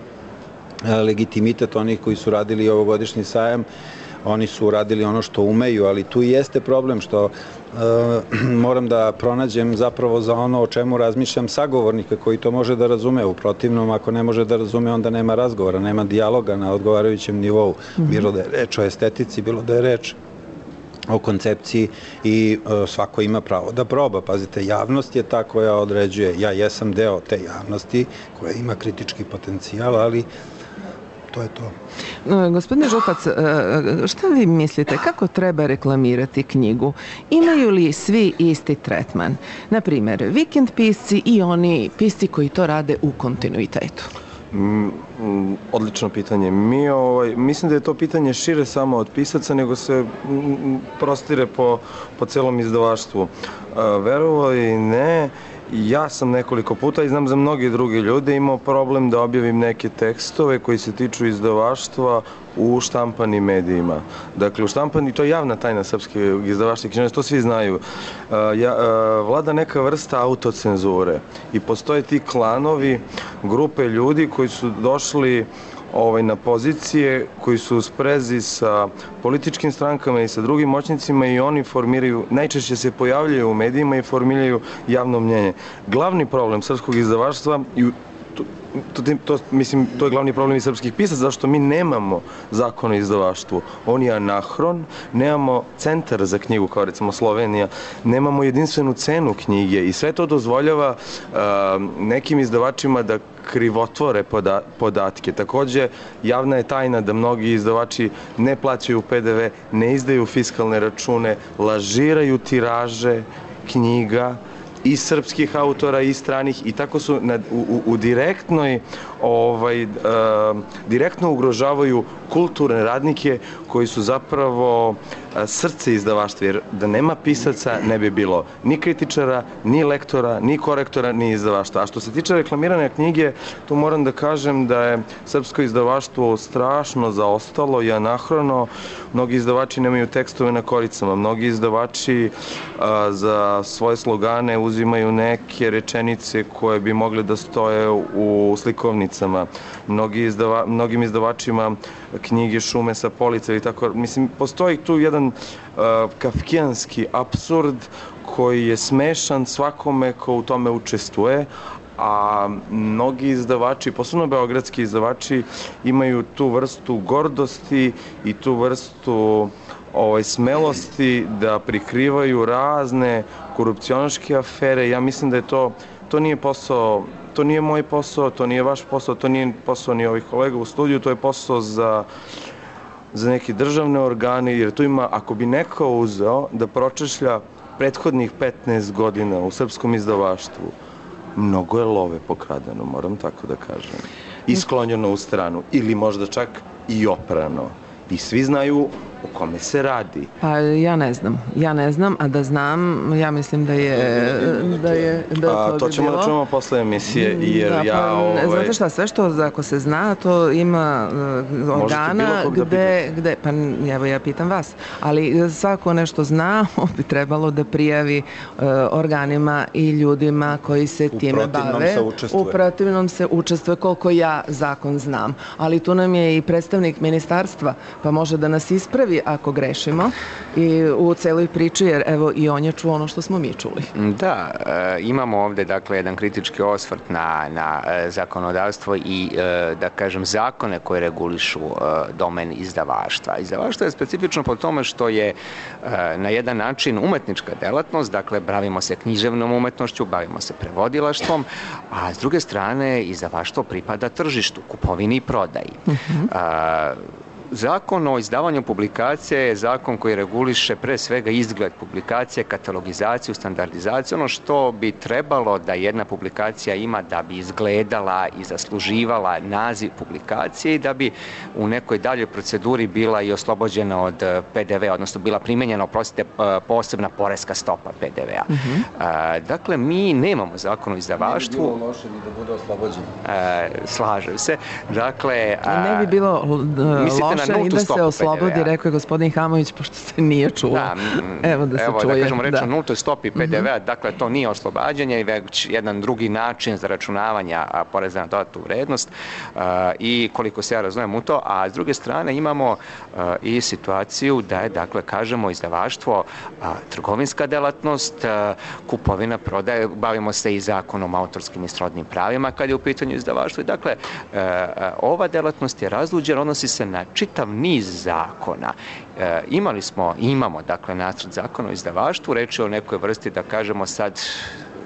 legitimitet onih koji su radili ovogodišnji sajam. Oni su uradili ono što umeju, ali tu jeste problem što e, moram da pronađem zapravo za ono o čemu razmišljam sagovornika koji to može da razume. U protivnom, ako ne može da razume, onda nema razgovora, nema dijaloga na odgovarajućem nivou. Mm-hmm. Bilo da je reč o estetici, bilo da je reč o koncepciji i e, svako ima pravo da proba. Pazite, javnost je ta koja određuje. Ja jesam deo te javnosti koja ima kritički potencijal, ali to je to. Gospodine Župac, šta vi mislite, kako treba reklamirati knjigu? Imaju li svi isti tretman? Naprimer, vikend pisci i oni pisci koji to rade u kontinuitetu? Mm, odlično pitanje. Mi, ovaj, mislim da je to pitanje šire samo od pisaca, nego se mm, prostire po, po celom izdavaštvu. Verovo i ne, ja sam nekoliko puta i znam za mnogi drugi ljude imao problem da objavim neke tekstove koji se tiču izdavaštva u štampanim medijima. Dakle, u štampani, to je javna tajna srpske izdavaštva i književnosti, to svi znaju. Ja, vlada neka vrsta autocenzure i postoje ti klanovi, grupe ljudi koji su došli Ovaj, na pozicije koji su u sprezi sa političkim strankama i sa drugim moćnicima i oni formiraju, najčešće se pojavljaju u medijima i formiraju javno mnjenje. Glavni problem srpskog izdavaštva i to, to, to, mislim, to je glavni problem i srpskih pisaca, zašto mi nemamo zakon o izdavaštvu. On je anahron, nemamo centar za knjigu, kao recimo Slovenija, nemamo jedinstvenu cenu knjige i sve to dozvoljava uh, nekim izdavačima da krivotvore poda, podatke. Takođe, javna je tajna da mnogi izdavači ne plaćaju P D V, ne izdaju fiskalne račune, lažiraju tiraže knjiga i srpskih autora i stranih i tako su na, u, u direktnoj ovaj, uh, direktno ugrožavaju kulturne radnike koji su zapravo uh, srce izdavaštva, jer da nema pisaca ne bi bilo ni kritičara, ni lektora, ni korektora, ni izdavaštva. A što se tiče reklamirane knjige, tu moram da kažem da je srpsko izdavaštvo strašno zaostalo i anahrono. Mnogi izdavači nemaju tekstove na koricama, mnogi izdavači uh, za svoje slogane uzimaju neke rečenice koje bi mogle da stoje u slikovnicama. Mnogi izdava, mnogim izdavačima knjige šume sa polica i tako. Mislim, postoji tu jedan uh, kafkijanski apsurd koji je smešan svakome ko u tome učestvuje, a mnogi izdavači, posebno beogradski izdavači, imaju tu vrstu gordosti i tu vrstu ovaj, smelosti da prikrivaju razne korupcionaške afere. Ja mislim da je to, to nije posao, to nije moj posao, to nije vaš posao, to nije posao ni ovih kolega u studiju, to je posao za, za neke državne organe, jer tu ima, ako bi neko uzeo da pročešlja prethodnih petnaest godina u srpskom izdavaštvu, mnogo je love pokradeno, moram tako da kažem. I sklonjeno u stranu, ili možda čak i oprano. I svi znaju o kome se radi. Pa ja ne znam, ja ne znam, a da znam, ja mislim da je da je da to, a, to ćemo da čujemo posle emisije, jer da, ja ovaj... Znate šta, sve što ako se zna, to ima uh, organa gde, gde, pa evo ja pitam vas, ali svako nešto zna, bi trebalo da prijavi uh, organima i ljudima koji se u time bave. Se u protivnom se učestvuje, koliko ja zakon znam. Ali tu nam je i predstavnik ministarstva, pa može da nas ispravi ako grešimo i u celoj priči, jer evo i on je čuo ono što smo mi čuli. Da, e, imamo ovde dakle jedan kritički osvrt na, na e, zakonodavstvo i e, da kažem zakone koje regulišu e, domen izdavaštva. Izdavaštvo je specifično po tome što je e, na jedan način umetnička delatnost, dakle bavimo se književnom umetnošću, bavimo se prevodilaštvom, a s druge strane izdavaštvo pripada tržištu, kupovini i prodaji. Uh-huh. A, Zakon o izdavanju publikacije je zakon koji reguliše pre svega izgled publikacije, katalogizaciju, standardizaciju, ono što bi trebalo da jedna publikacija ima da bi izgledala i zasluživala naziv publikacije i da bi u nekoj daljoj proceduri bila i oslobođena od P D V, odnosno bila primenjena, oprostite, posebna poreska stopa P D V-a. Uh-huh. Dakle, mi nemamo zakon o izdavaštvu. Ne bi bilo loše ni da bude oslobođen. Slažem se. Dakle, ne bi bilo loše i da se oslobodi, rekao je gospodin Hamović, pošto se nije čuo. Da, evo da se evo, čuje. Da kažemo reč da. o nultoj stopi P D V-a, uh-huh. Dakle, to nije oslobađanje, već jedan drugi način za računavanja poreza na dodatnu vrednost uh, i koliko se ja razumem u to, a s druge strane imamo uh, i situaciju da je, dakle, kažemo, izdavaštvo uh, trgovinska delatnost, uh, kupovina, prodaje, bavimo se i zakonom o autorskim i srodnim pravima kad je u pitanju izdavaštvo. Dakle, uh, ova delatnost je razluđena, odnosi se na čitav niz zakona. E, imali smo, imamo, dakle, nacrt zakona o izdavaštvu, reč je o nekoj vrsti, da kažemo sad,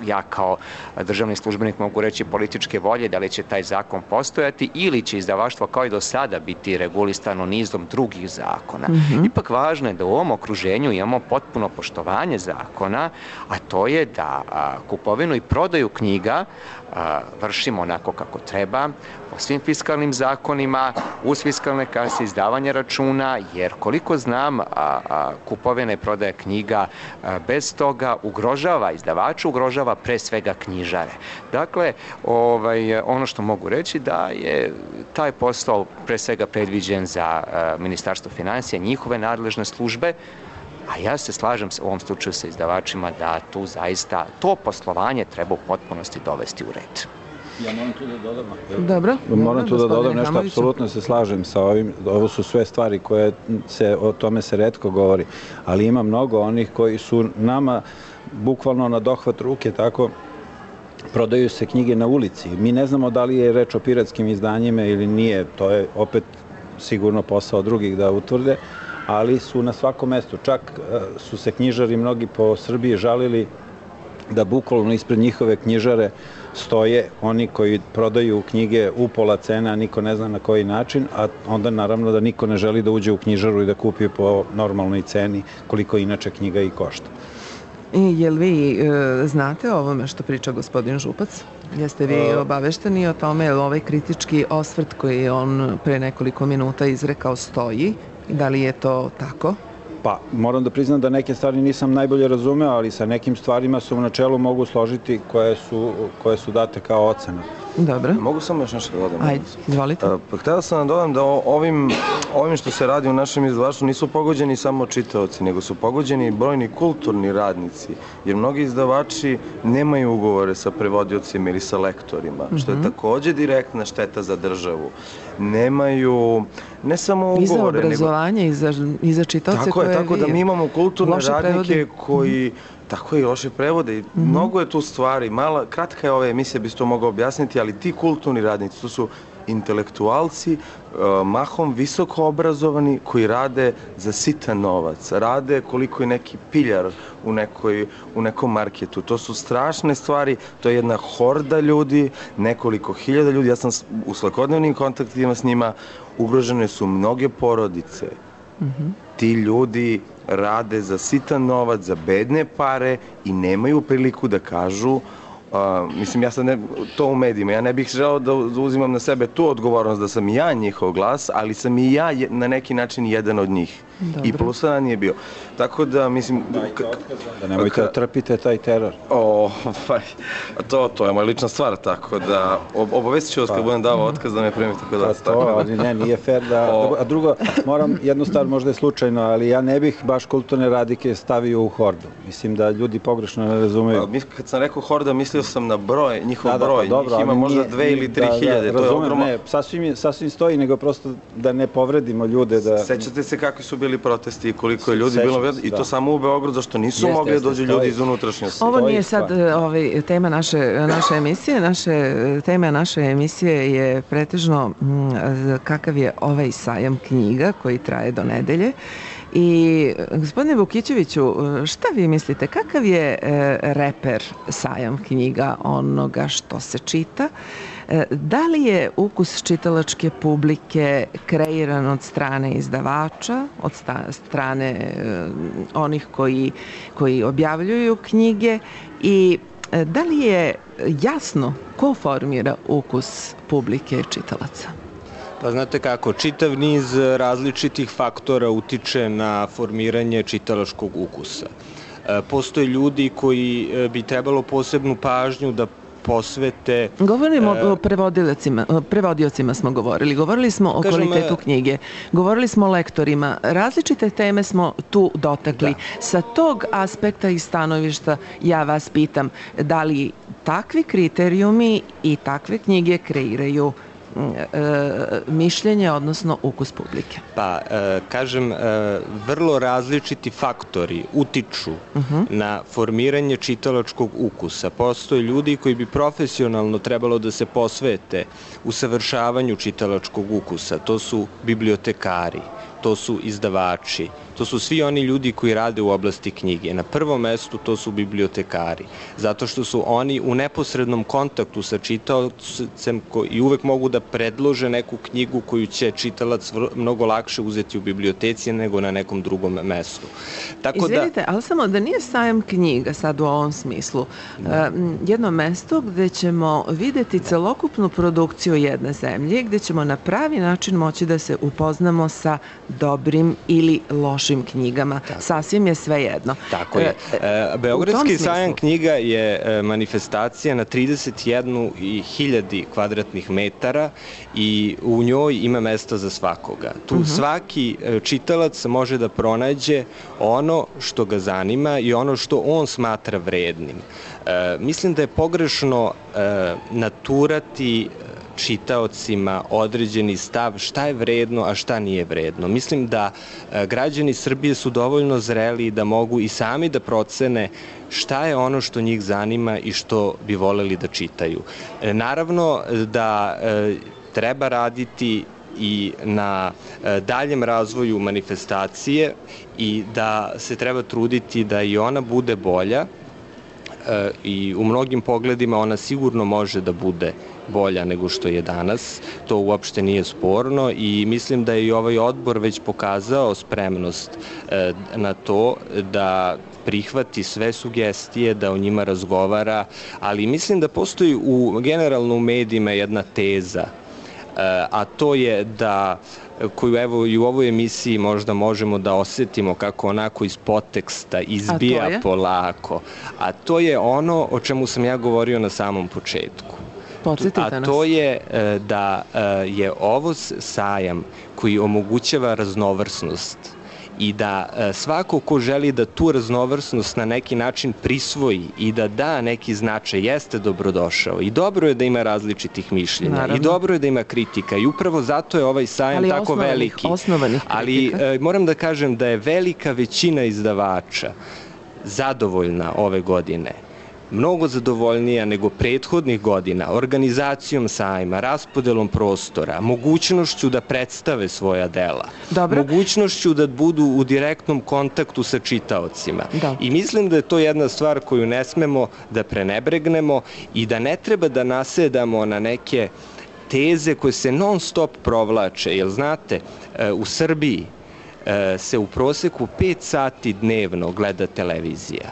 ja kao državni službenik mogu reći političke volje, da li će taj zakon postojati ili će izdavaštvo kao i do sada biti regulisano nizom drugih zakona. Mm-hmm. Ipak važno je da u ovom okruženju imamo potpuno poštovanje zakona, a to je da a, kupovinu i prodaju knjiga a, vršimo onako kako treba, po svim fiskalnim zakonima, uz fiskalne kase, izdavanje računa, jer koliko znam, a, a, kupovina i prodaja knjiga a, bez toga ugrožava izdavača, ugrožava pre svega knjižare. Dakle, ovaj, ono što mogu reći da je taj posao pre svega predviđen za a, Ministarstvo finansija, njihove nadležne službe, a ja se slažem u ovom slučaju sa izdavačima da tu zaista to poslovanje treba u potpunosti dovesti u red. Ja moram tu da dodam. Dobro. Moram tu da dodam nešto, apsolutno se slažem sa ovim. Ovo su sve stvari koje se, o tome se retko govori, ali ima mnogo onih koji su nama bukvalno na dohvat ruke tako prodaju se knjige na ulici. Mi ne znamo da li je reč o piratskim izdanjima ili nije, to je opet sigurno posao drugih da utvrde, ali su na svakom mestu. Čak su se knjižari mnogi po Srbiji žalili da bukvalno ispred njihove knjižare stoje oni koji prodaju knjige u pola cena, a niko ne zna na koji način, a onda naravno da niko ne želi da uđe u knjižaru i da kupi po normalnoj ceni koliko inače knjiga i košta. I jel vi e, znate o ovome što priča gospodin Župac? Jeste vi obavešteni o tome, jel ovaj kritički osvrt koji je on pre nekoliko minuta izrekao stoji? Da li je to tako? Pa, moram da priznam da neke stvari nisam najbolje razumeo, ali sa nekim stvarima se u načelu mogu složiti koje su, koje su date kao ocena. Dobro. Mogu samo još nešto da dodam? Ajde, izvolite. Pa, htela sam da dodam da ovim, ovim što se radi u našem izdavaštvu nisu pogođeni samo čitaoci, nego su pogođeni brojni kulturni radnici, jer mnogi izdavači nemaju ugovore sa prevodiocima ili sa lektorima, mm-hmm. što je takođe direktna šteta za državu. Nemaju, ne samo ugovore, I za obrazovanje, nego... i za, i za čitaoce tako koje je, tako vi da mi imamo kulturne radnike prevodi. koji... Tako i loše prevode. Mm-hmm. Mnogo je tu stvari. Mala, kratka je ova emisija, bi se to mogao objasniti, ali ti kulturni radnici, to su intelektualci, mahom visoko obrazovani, koji rade za sitan novac. Rade koliko je neki piljar u, nekoj, u nekom marketu. To su strašne stvari, to je jedna horda ljudi, nekoliko hiljada ljudi. Ja sam u svakodnevnim kontaktima s njima, ugrožene su mnoge porodice. Mm-hmm. Ti ljudi rade za sitan novac, za bedne pare i nemaju priliku da kažu, uh, mislim, ja sam ne, to u medijima, ja ne bih želeo da uzimam na sebe tu odgovornost da sam ja njihov glas, ali sam i ja je, na neki način jedan od njih. Dobro. I plusa nije bio. Tako da, mislim... Da nemojte da trpite taj teror. O, pa, to, to je moja lična stvar, tako da obavestit ću vas kad budem davao otkaz da me primite kod vas. To, ali ne, nije fair da... A drugo, moram jednu stvar, možda je slučajno, ali ja ne bih baš kulturne radike stavio u hordu. Mislim da ljudi pogrešno ne razumeju. Kad sam rekao horda, mislio sam na broj, njihov da, da, broj. Pa, dobro, njih ima možda dve ili tri da, hiljade. Da, razumem, ne, sasvim, sasvim stoji, nego prosto da ne povredimo ljude. Da... Sećate se kakvi su bili protesti i koliko je ljudi bilo i to samo u Beogradu, zašto nisu mogli da dođu ljudi iz unutrašnjosti. Ovo nije sad ovaj, tema naše, naše emisije. Naše, tema naše emisije je pretežno kakav je ovaj sajam knjiga koji traje do nedelje. I gospodine Vukićeviću, šta vi mislite, kakav je reper sajam knjiga onoga što se čita? Da li je ukus čitalačke publike kreiran od strane izdavača, od strane onih koji, koji objavljuju knjige i da li je jasno ko formira ukus publike čitalaca? Pa znate kako, čitav niz različitih faktora utiče na formiranje čitalačkog ukusa. Postoje ljudi koji bi trebalo posebnu pažnju da posvete... Govorimo e, o prevodiocima, prevodiocima smo govorili, govorili smo o kažem, kvalitetu knjige, govorili smo o lektorima, različite teme smo tu dotakli. Da. Sa tog aspekta i stanovišta ja vas pitam, da li takvi kriterijumi i takve knjige kreiraju E, mišljenje, odnosno ukus publike? Pa, e, kažem, e, vrlo različiti faktori utiču uh-huh. na formiranje čitalačkog ukusa. Postoje ljudi koji bi profesionalno trebalo da se posvete usavršavanju čitalačkog ukusa. To su bibliotekari, to su izdavači, to su svi oni ljudi koji rade u oblasti knjige. Na prvom mestu to su bibliotekari, zato što su oni u neposrednom kontaktu sa čitaocem i uvek mogu da predlože neku knjigu koju će čitalac mnogo lakše uzeti u biblioteci nego na nekom drugom mestu. Tako Izvinite, da... ali samo da nije sajam knjiga sad u ovom smislu. Da. Jedno mesto gde ćemo videti celokupnu produkciju jedne zemlje, gde ćemo na pravi način moći da se upoznamo sa dobrim ili lošim knjigama. Tako. Sasvim je sve jedno. Tako je. E, Beogradski sajam knjiga je manifestacija na trideset jednu hiljadu kvadratnih metara i u njoj ima mesta za svakoga. Tu uh-huh. svaki čitalac može da pronađe ono što ga zanima i ono što on smatra vrednim. E, mislim da je pogrešno e, naturati čitaocima određeni stav šta je vredno, a šta nije vredno. Mislim da građani Srbije su dovoljno zreli da mogu i sami da procene šta je ono što njih zanima i što bi voleli da čitaju. Naravno da treba raditi i na daljem razvoju manifestacije i da se treba truditi da i ona bude bolja i u mnogim pogledima ona sigurno može da bude bolja nego što je danas. To uopšte nije sporno i mislim da je i ovaj odbor već pokazao spremnost na to da prihvati sve sugestije, da o njima razgovara, ali mislim da postoji u, generalno u medijima jedna teza, a to je da, koju evo i u ovoj emisiji možda možemo da osetimo kako onako iz podteksta izbija polako, a to je ono o čemu sam ja govorio na samom početku. Podsjetite nas. A to je da je ovo sajam koji omogućava raznovrsnost i da svako ko želi da tu raznovrsnost na neki način prisvoji i da da neki značaj jeste dobrodošao i dobro je da ima različitih mišljenja. Naravno. I dobro je da ima kritika i upravo zato je ovaj sajam ali tako osnovanih, veliki. Osnovanih ali e, moram da kažem da je velika većina izdavača zadovoljna ove godine, mnogo zadovoljnija nego prethodnih godina, organizacijom sajma, raspodelom prostora, mogućnošću da predstave svoja dela, Dobro. mogućnošću da budu u direktnom kontaktu sa čitaocima. Da. I mislim da je to jedna stvar koju ne smemo da prenebregnemo i da ne treba da nasedamo na neke teze koje se non stop provlače, jer znate, u Srbiji se u proseku pet sati dnevno gleda televizija.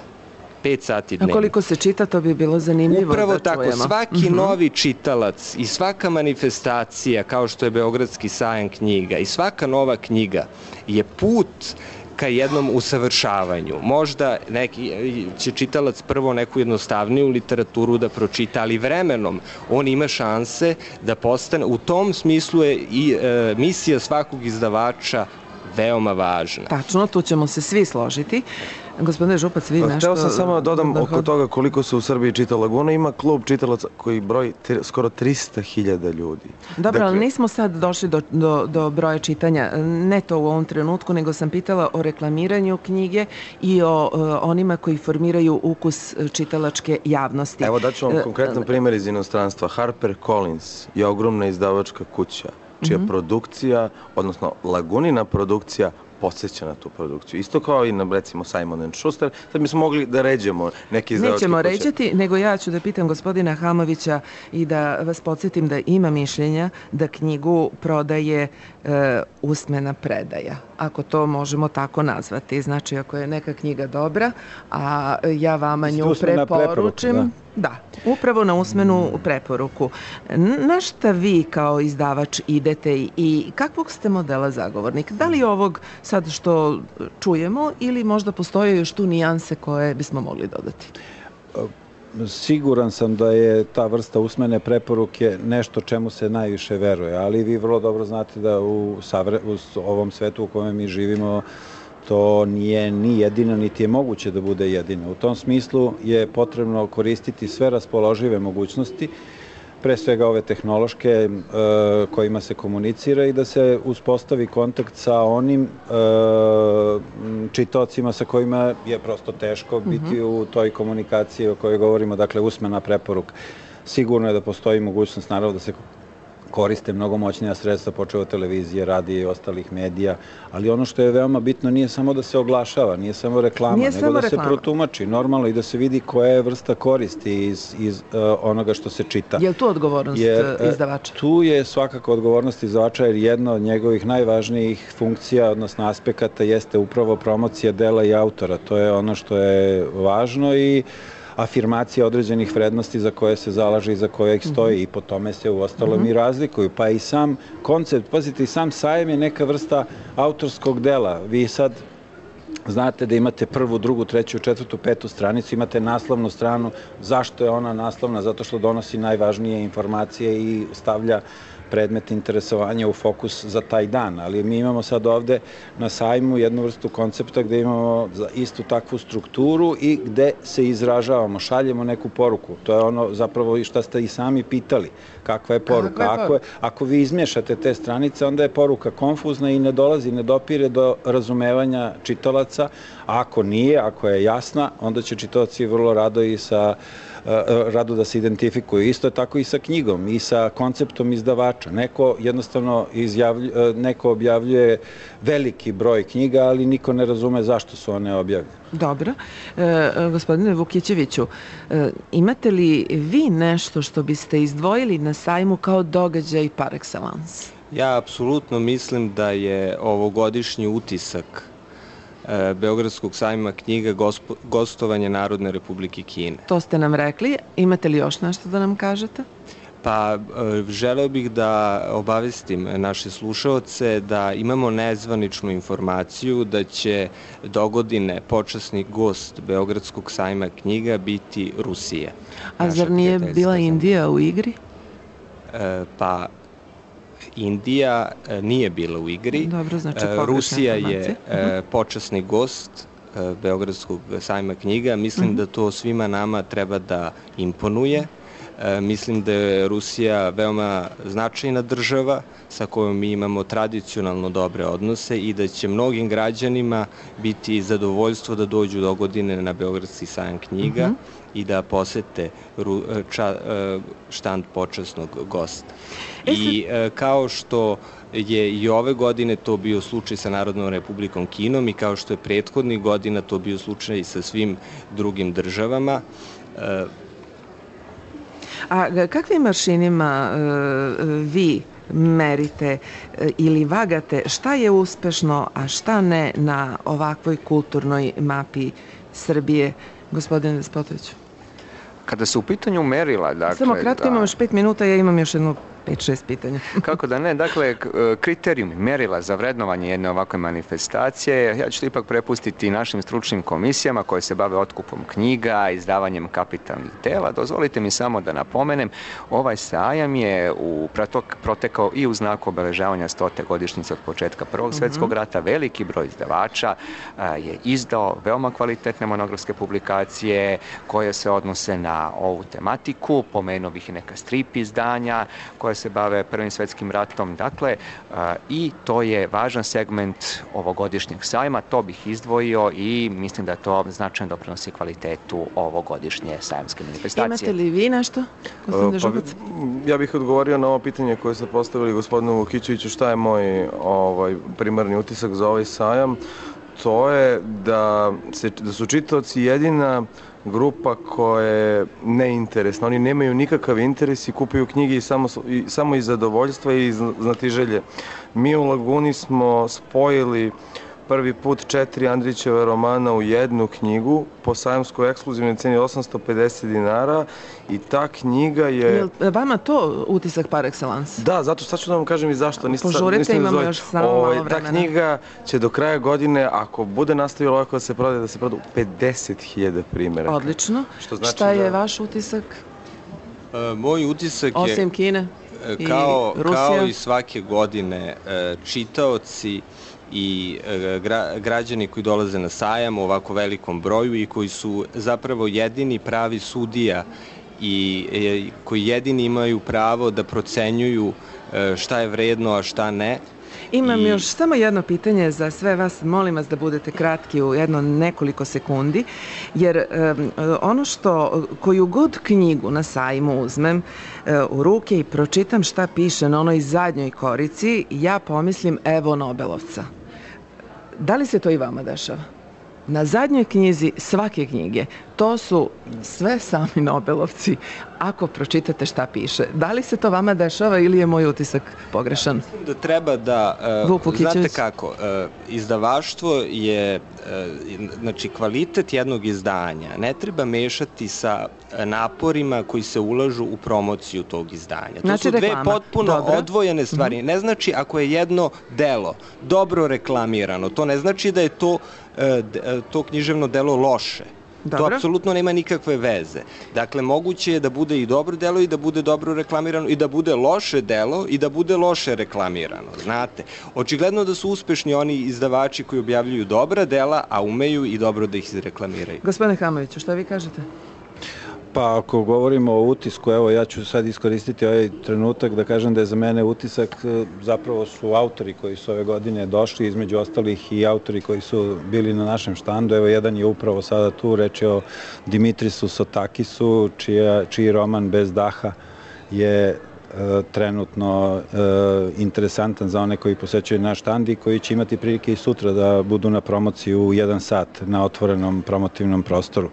pet sati dnevno. A koliko se čita, to bi bilo zanimljivo Upravo da tako, čujemo. svaki uh-huh. novi čitalac i svaka manifestacija, kao što je Beogradski sajam knjiga, i svaka nova knjiga je put ka jednom usavršavanju. Možda neki će čitalac prvo neku jednostavniju literaturu da pročita, ali vremenom on ima šanse da postane, u tom smislu je i e, misija svakog izdavača veoma važna. Tačno, tu ćemo se svi složiti. Gospodine Župac, vi nešto... Hteo sam samo da dodam oko toga koliko se u Srbiji čita Laguna. Ima klub čitalaca koji broji skoro trista hiljada ljudi. Dobro, dakle, ali nismo sad došli do, do, do broja čitanja. Ne to u ovom trenutku, nego sam pitala o reklamiranju knjige i o, o onima koji formiraju ukus čitalačke javnosti. Evo daću vam konkretan primjer iz inostranstva. Harper Collins je ogromna izdavačka kuća čija mm-hmm. produkcija, odnosno Lagunina produkcija, podsjeća na tu produkciju. Isto kao i na, recimo, Simon and Schuster, sad mi smo mogli da ređemo neki izdavački kuće. Nećemo ređati, nego ja ću da pitam gospodina Hamovića i da vas podsjetim da ima mišljenja da knjigu prodaje e, usmena predaja, ako to možemo tako nazvati. Znači, ako je neka knjiga dobra, a ja vama nju preporučim... Da. Da, upravo na usmenu preporuku. Na šta vi kao izdavač idete i kakvog ste modela zagovornik? Da li ovog sad što čujemo ili možda postoje još tu nijanse koje bismo mogli dodati? Siguran sam da je ta vrsta usmene preporuke nešto čemu se najviše veruje, ali vi vrlo dobro znate da u, savre, u ovom svetu u kojem mi živimo to nije ni jedino, niti je moguće da bude jedino. U tom smislu je potrebno koristiti sve raspoložive mogućnosti, pre svega ove tehnološke e, kojima se komunicira i da se uspostavi kontakt sa onim e, čitaocima sa kojima je prosto teško biti mm-hmm. u toj komunikaciji o kojoj govorimo, dakle usmena preporuka. Sigurno je da postoji mogućnost, naravno, da se koriste mnogo moćnija sredstva, počeo od televizije, radija i ostalih medija, ali ono što je veoma bitno nije samo da se oglašava, nije samo reklama, nije nego samo da reklama. se protumači normalno i da se vidi koja je vrsta koristi iz, iz uh, onoga što se čita. Je li tu odgovornost jer, izdavača? Tu je svakako odgovornost izdavača, jer jedna od njegovih najvažnijih funkcija, odnosno aspekata, jeste upravo promocija dela i autora. To je ono što je važno i afirmacija određenih vrednosti za koje se zalaže i za koje ih stoji i po tome se u ostalom mm-hmm. i razlikuju. Pa i sam koncept, pazite, i sam sajam je neka vrsta autorskog dela. Vi sad znate da imate prvu, drugu, treću, četvrtu, petu stranicu, imate naslovnu stranu. Zašto je ona naslovna? Zato što donosi najvažnije informacije i stavlja predmet interesovanja u fokus za taj dan. Ali mi imamo sad ovde na sajmu jednu vrstu koncepta gde imamo istu takvu strukturu i gde se izražavamo, šaljemo neku poruku. To je ono zapravo i šta ste i sami pitali. Kakva je poruka? Ako, je, ako vi izmješate te stranice, onda je poruka konfuzna i ne dolazi, ne dopire do razumevanja čitalaca. A ako nije, ako je jasna, onda će čitaoci vrlo rado i sa rado da se identifikuju. Isto je tako i sa knjigom i sa konceptom izdavača. Neko jednostavno izjavljuje, neko objavljuje veliki broj knjiga, ali niko ne razume zašto su one objavljene. Dobro. E, gospodine Vukićeviću, e, imate li vi nešto što biste izdvojili na sajmu kao događaj par excellence? Ja apsolutno mislim da je ovogodišnji utisak Beogradskog sajma knjiga gostovanje Narodne Republike Kine. To ste nam rekli. Imate li još nešto da nam kažete? Pa, želeo bih da obavestim naše slušaoce da imamo nezvaničnu informaciju da će dogodine počasni gost Beogradskog sajma knjiga biti Rusija. A zar nije bila Indija u igri? E, pa, Indija nije bila u igri. Dobro, znači Rusija je počasni gost Beogradskog sajma knjiga. Mislim uh-huh. da to svima nama treba da imponuje. Mislim da je Rusija veoma značajna država sa kojom mi imamo tradicionalno dobre odnose i da će mnogim građanima biti zadovoljstvo da dođu do godine na Beogradski sajam knjiga uh-huh. i da posete ča, štand počasnog gosta. I kao što je i ove godine to bio slučaj sa Narodnom Republikom Kinom i kao što je prethodnih godina to bio slučaj i sa svim drugim državama. A kakvim aršinima vi merite ili vagate šta je uspešno, a šta ne na ovakvoj kulturnoj mapi Srbije, gospodine Despotoviću? Kada su u pitanju merila, dakle... Samo kratko, imam još pet minuta, ja imam još jedno pet šest pitanja. Kako da ne, dakle, kriterijumi, merila za vrednovanje jedne ovakve manifestacije, ja ću to ipak prepustiti našim stručnim komisijama koje se bave otkupom knjiga, izdavanjem kapitalnih dela. Dozvolite mi samo da napomenem, ovaj sajam je u protok, protekao i u znaku obeležavanja stote godišnjice od početka Prvog svjetskog rata. Veliki broj izdavača a, je izdao veoma kvalitetne monografske publikacije koje se odnose na ovu tematiku. Pomenuo bih i neka strip izdanja koje se bave Prvim svjetskim ratom. Dakle, i to je važan segment ovogodišnjeg sajma, to bih izdvojio i mislim da to značajno doprinosi kvalitetu ovogodišnje sajamske manifestacije. Imate li vi nešto, gospodine Žubac? Pa, ja bih odgovorio na ovo pitanje koje ste postavili gospodinu Vukićeviću, šta je moj ovaj, primarni utisak za ovaj sajam. To je da, se, da su čitaoci jedina grupa koja je neinteresna. Oni nemaju nikakav interes i kupuju knjige i samo, i, samo iz zadovoljstva i iz znatiželje. Mi u Laguni smo spojili prvi put četiri Andrićeva romana u jednu knjigu po sajamskoj ekskluzivnoj ceni osamsto pedeset dinara i ta knjiga je... Je li vama to utisak par excellence? Da, zato sad ću da vam kažem i zašto. Niste, Požurite, niste imamo još samo malo vremena. Ta knjiga će do kraja godine, ako bude nastavilo ovako da se prodaje, da se proda pedeset hiljada primjeraka. Odlično. Što znači Šta je da... vaš utisak? E, moj utisak je... Osim Kine i kao, Rusija? Kao i svake godine, čitaoci i gra, građani koji dolaze na sajam u ovako velikom broju i koji su zapravo jedini pravi sudija i e, koji jedini imaju pravo da procenjuju e, šta je vredno, a šta ne. Imam I... još samo jedno pitanje za sve vas, molim vas da budete kratki u jedno nekoliko sekundi, jer um, ono što, koju god knjigu na sajmu uzmem uh, u ruke i pročitam šta piše na onoj zadnjoj korici, ja pomislim evo Nobelovca. Da li se to i vama dešava? Na zadnjoj knjizi svake knjige, to su sve sami Nobelovci, ako pročitate šta piše. Da li se to vama dešava ili je moj utisak pogrešan? Mislim da treba da... Uh, znate kako, uh, izdavaštvo je, uh, znači kvalitet jednog izdanja ne treba mešati sa naporima koji se ulažu u promociju tog izdanja. To znači su dve reklama. potpuno Dobre. odvojene stvari. Mm-hmm. Ne znači ako je jedno delo dobro reklamirano, to ne znači da je to, uh, to književno delo loše. To apsolutno nema nikakve veze. Dakle, moguće je da bude i dobro delo i da bude dobro reklamirano i da bude loše delo i da bude loše reklamirano, znate. Očigledno da su uspešni oni izdavači koji objavljuju dobra dela, a umeju i dobro da ih izreklamiraju. Gospodine Hamoviću, šta vi kažete? Pa ako govorimo o utisku, evo ja ću sad iskoristiti ovaj trenutak da kažem da je za mene utisak zapravo su autori koji su ove godine došli, između ostalih i autori koji su bili na našem štandu. Evo jedan je upravo sada tu, reč je o Dimitrisu Sotakisu, čija, čiji roman Bez daha je trenutno e, interesantan za one koji posećaju naš štand i koji će imati prilike i sutra da budu na promociji u jedan sat na otvorenom promotivnom prostoru.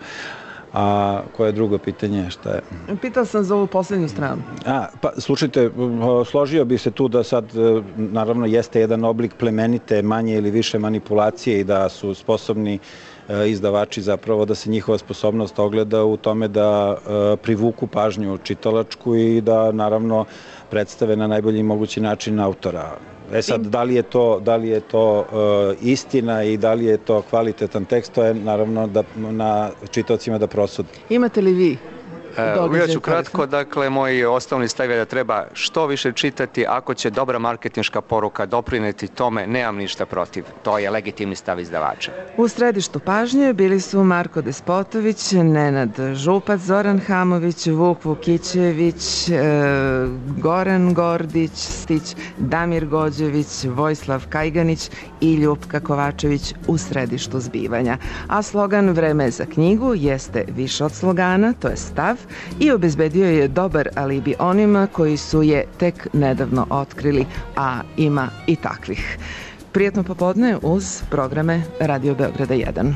A koje je drugo pitanje? Šta je? Pitao sam za ovu poslednju stranu. A, pa, slušajte, složio bih se tu da sad, naravno, jeste jedan oblik plemenite, manje ili više manipulacije i da su sposobni izdavači zapravo da se njihova sposobnost ogleda u tome da privuku pažnju čitalačku i da, naravno, predstave na najbolji mogući način autora. E sad, da li je to, da li je to uh, istina i da li je to kvalitetan tekst, to je naravno da, na čitaocima da prosude. Imate li vi? Ja ću kratko, dakle, moj osnovni stav je da treba što više čitati, ako će dobra marketinška poruka doprineti tome, nemam ništa protiv. To je legitimni stav izdavača. U središtu pažnje bili su Marko Despotović, Nenad Župac, Zoran Hamović, Vuk Vukićević, e, Goran Gordić, Stić, Damir Gođević, Vojislav Kajganić i Ljupka Kovačević u središtu zbivanja. A slogan Vreme za knjigu jeste više od slogana, to je stav, i obezbedio je dobar alibi onima koji su je tek nedavno otkrili, a ima i takvih. Prijetno popodne uz programe Radio Beograda jedan.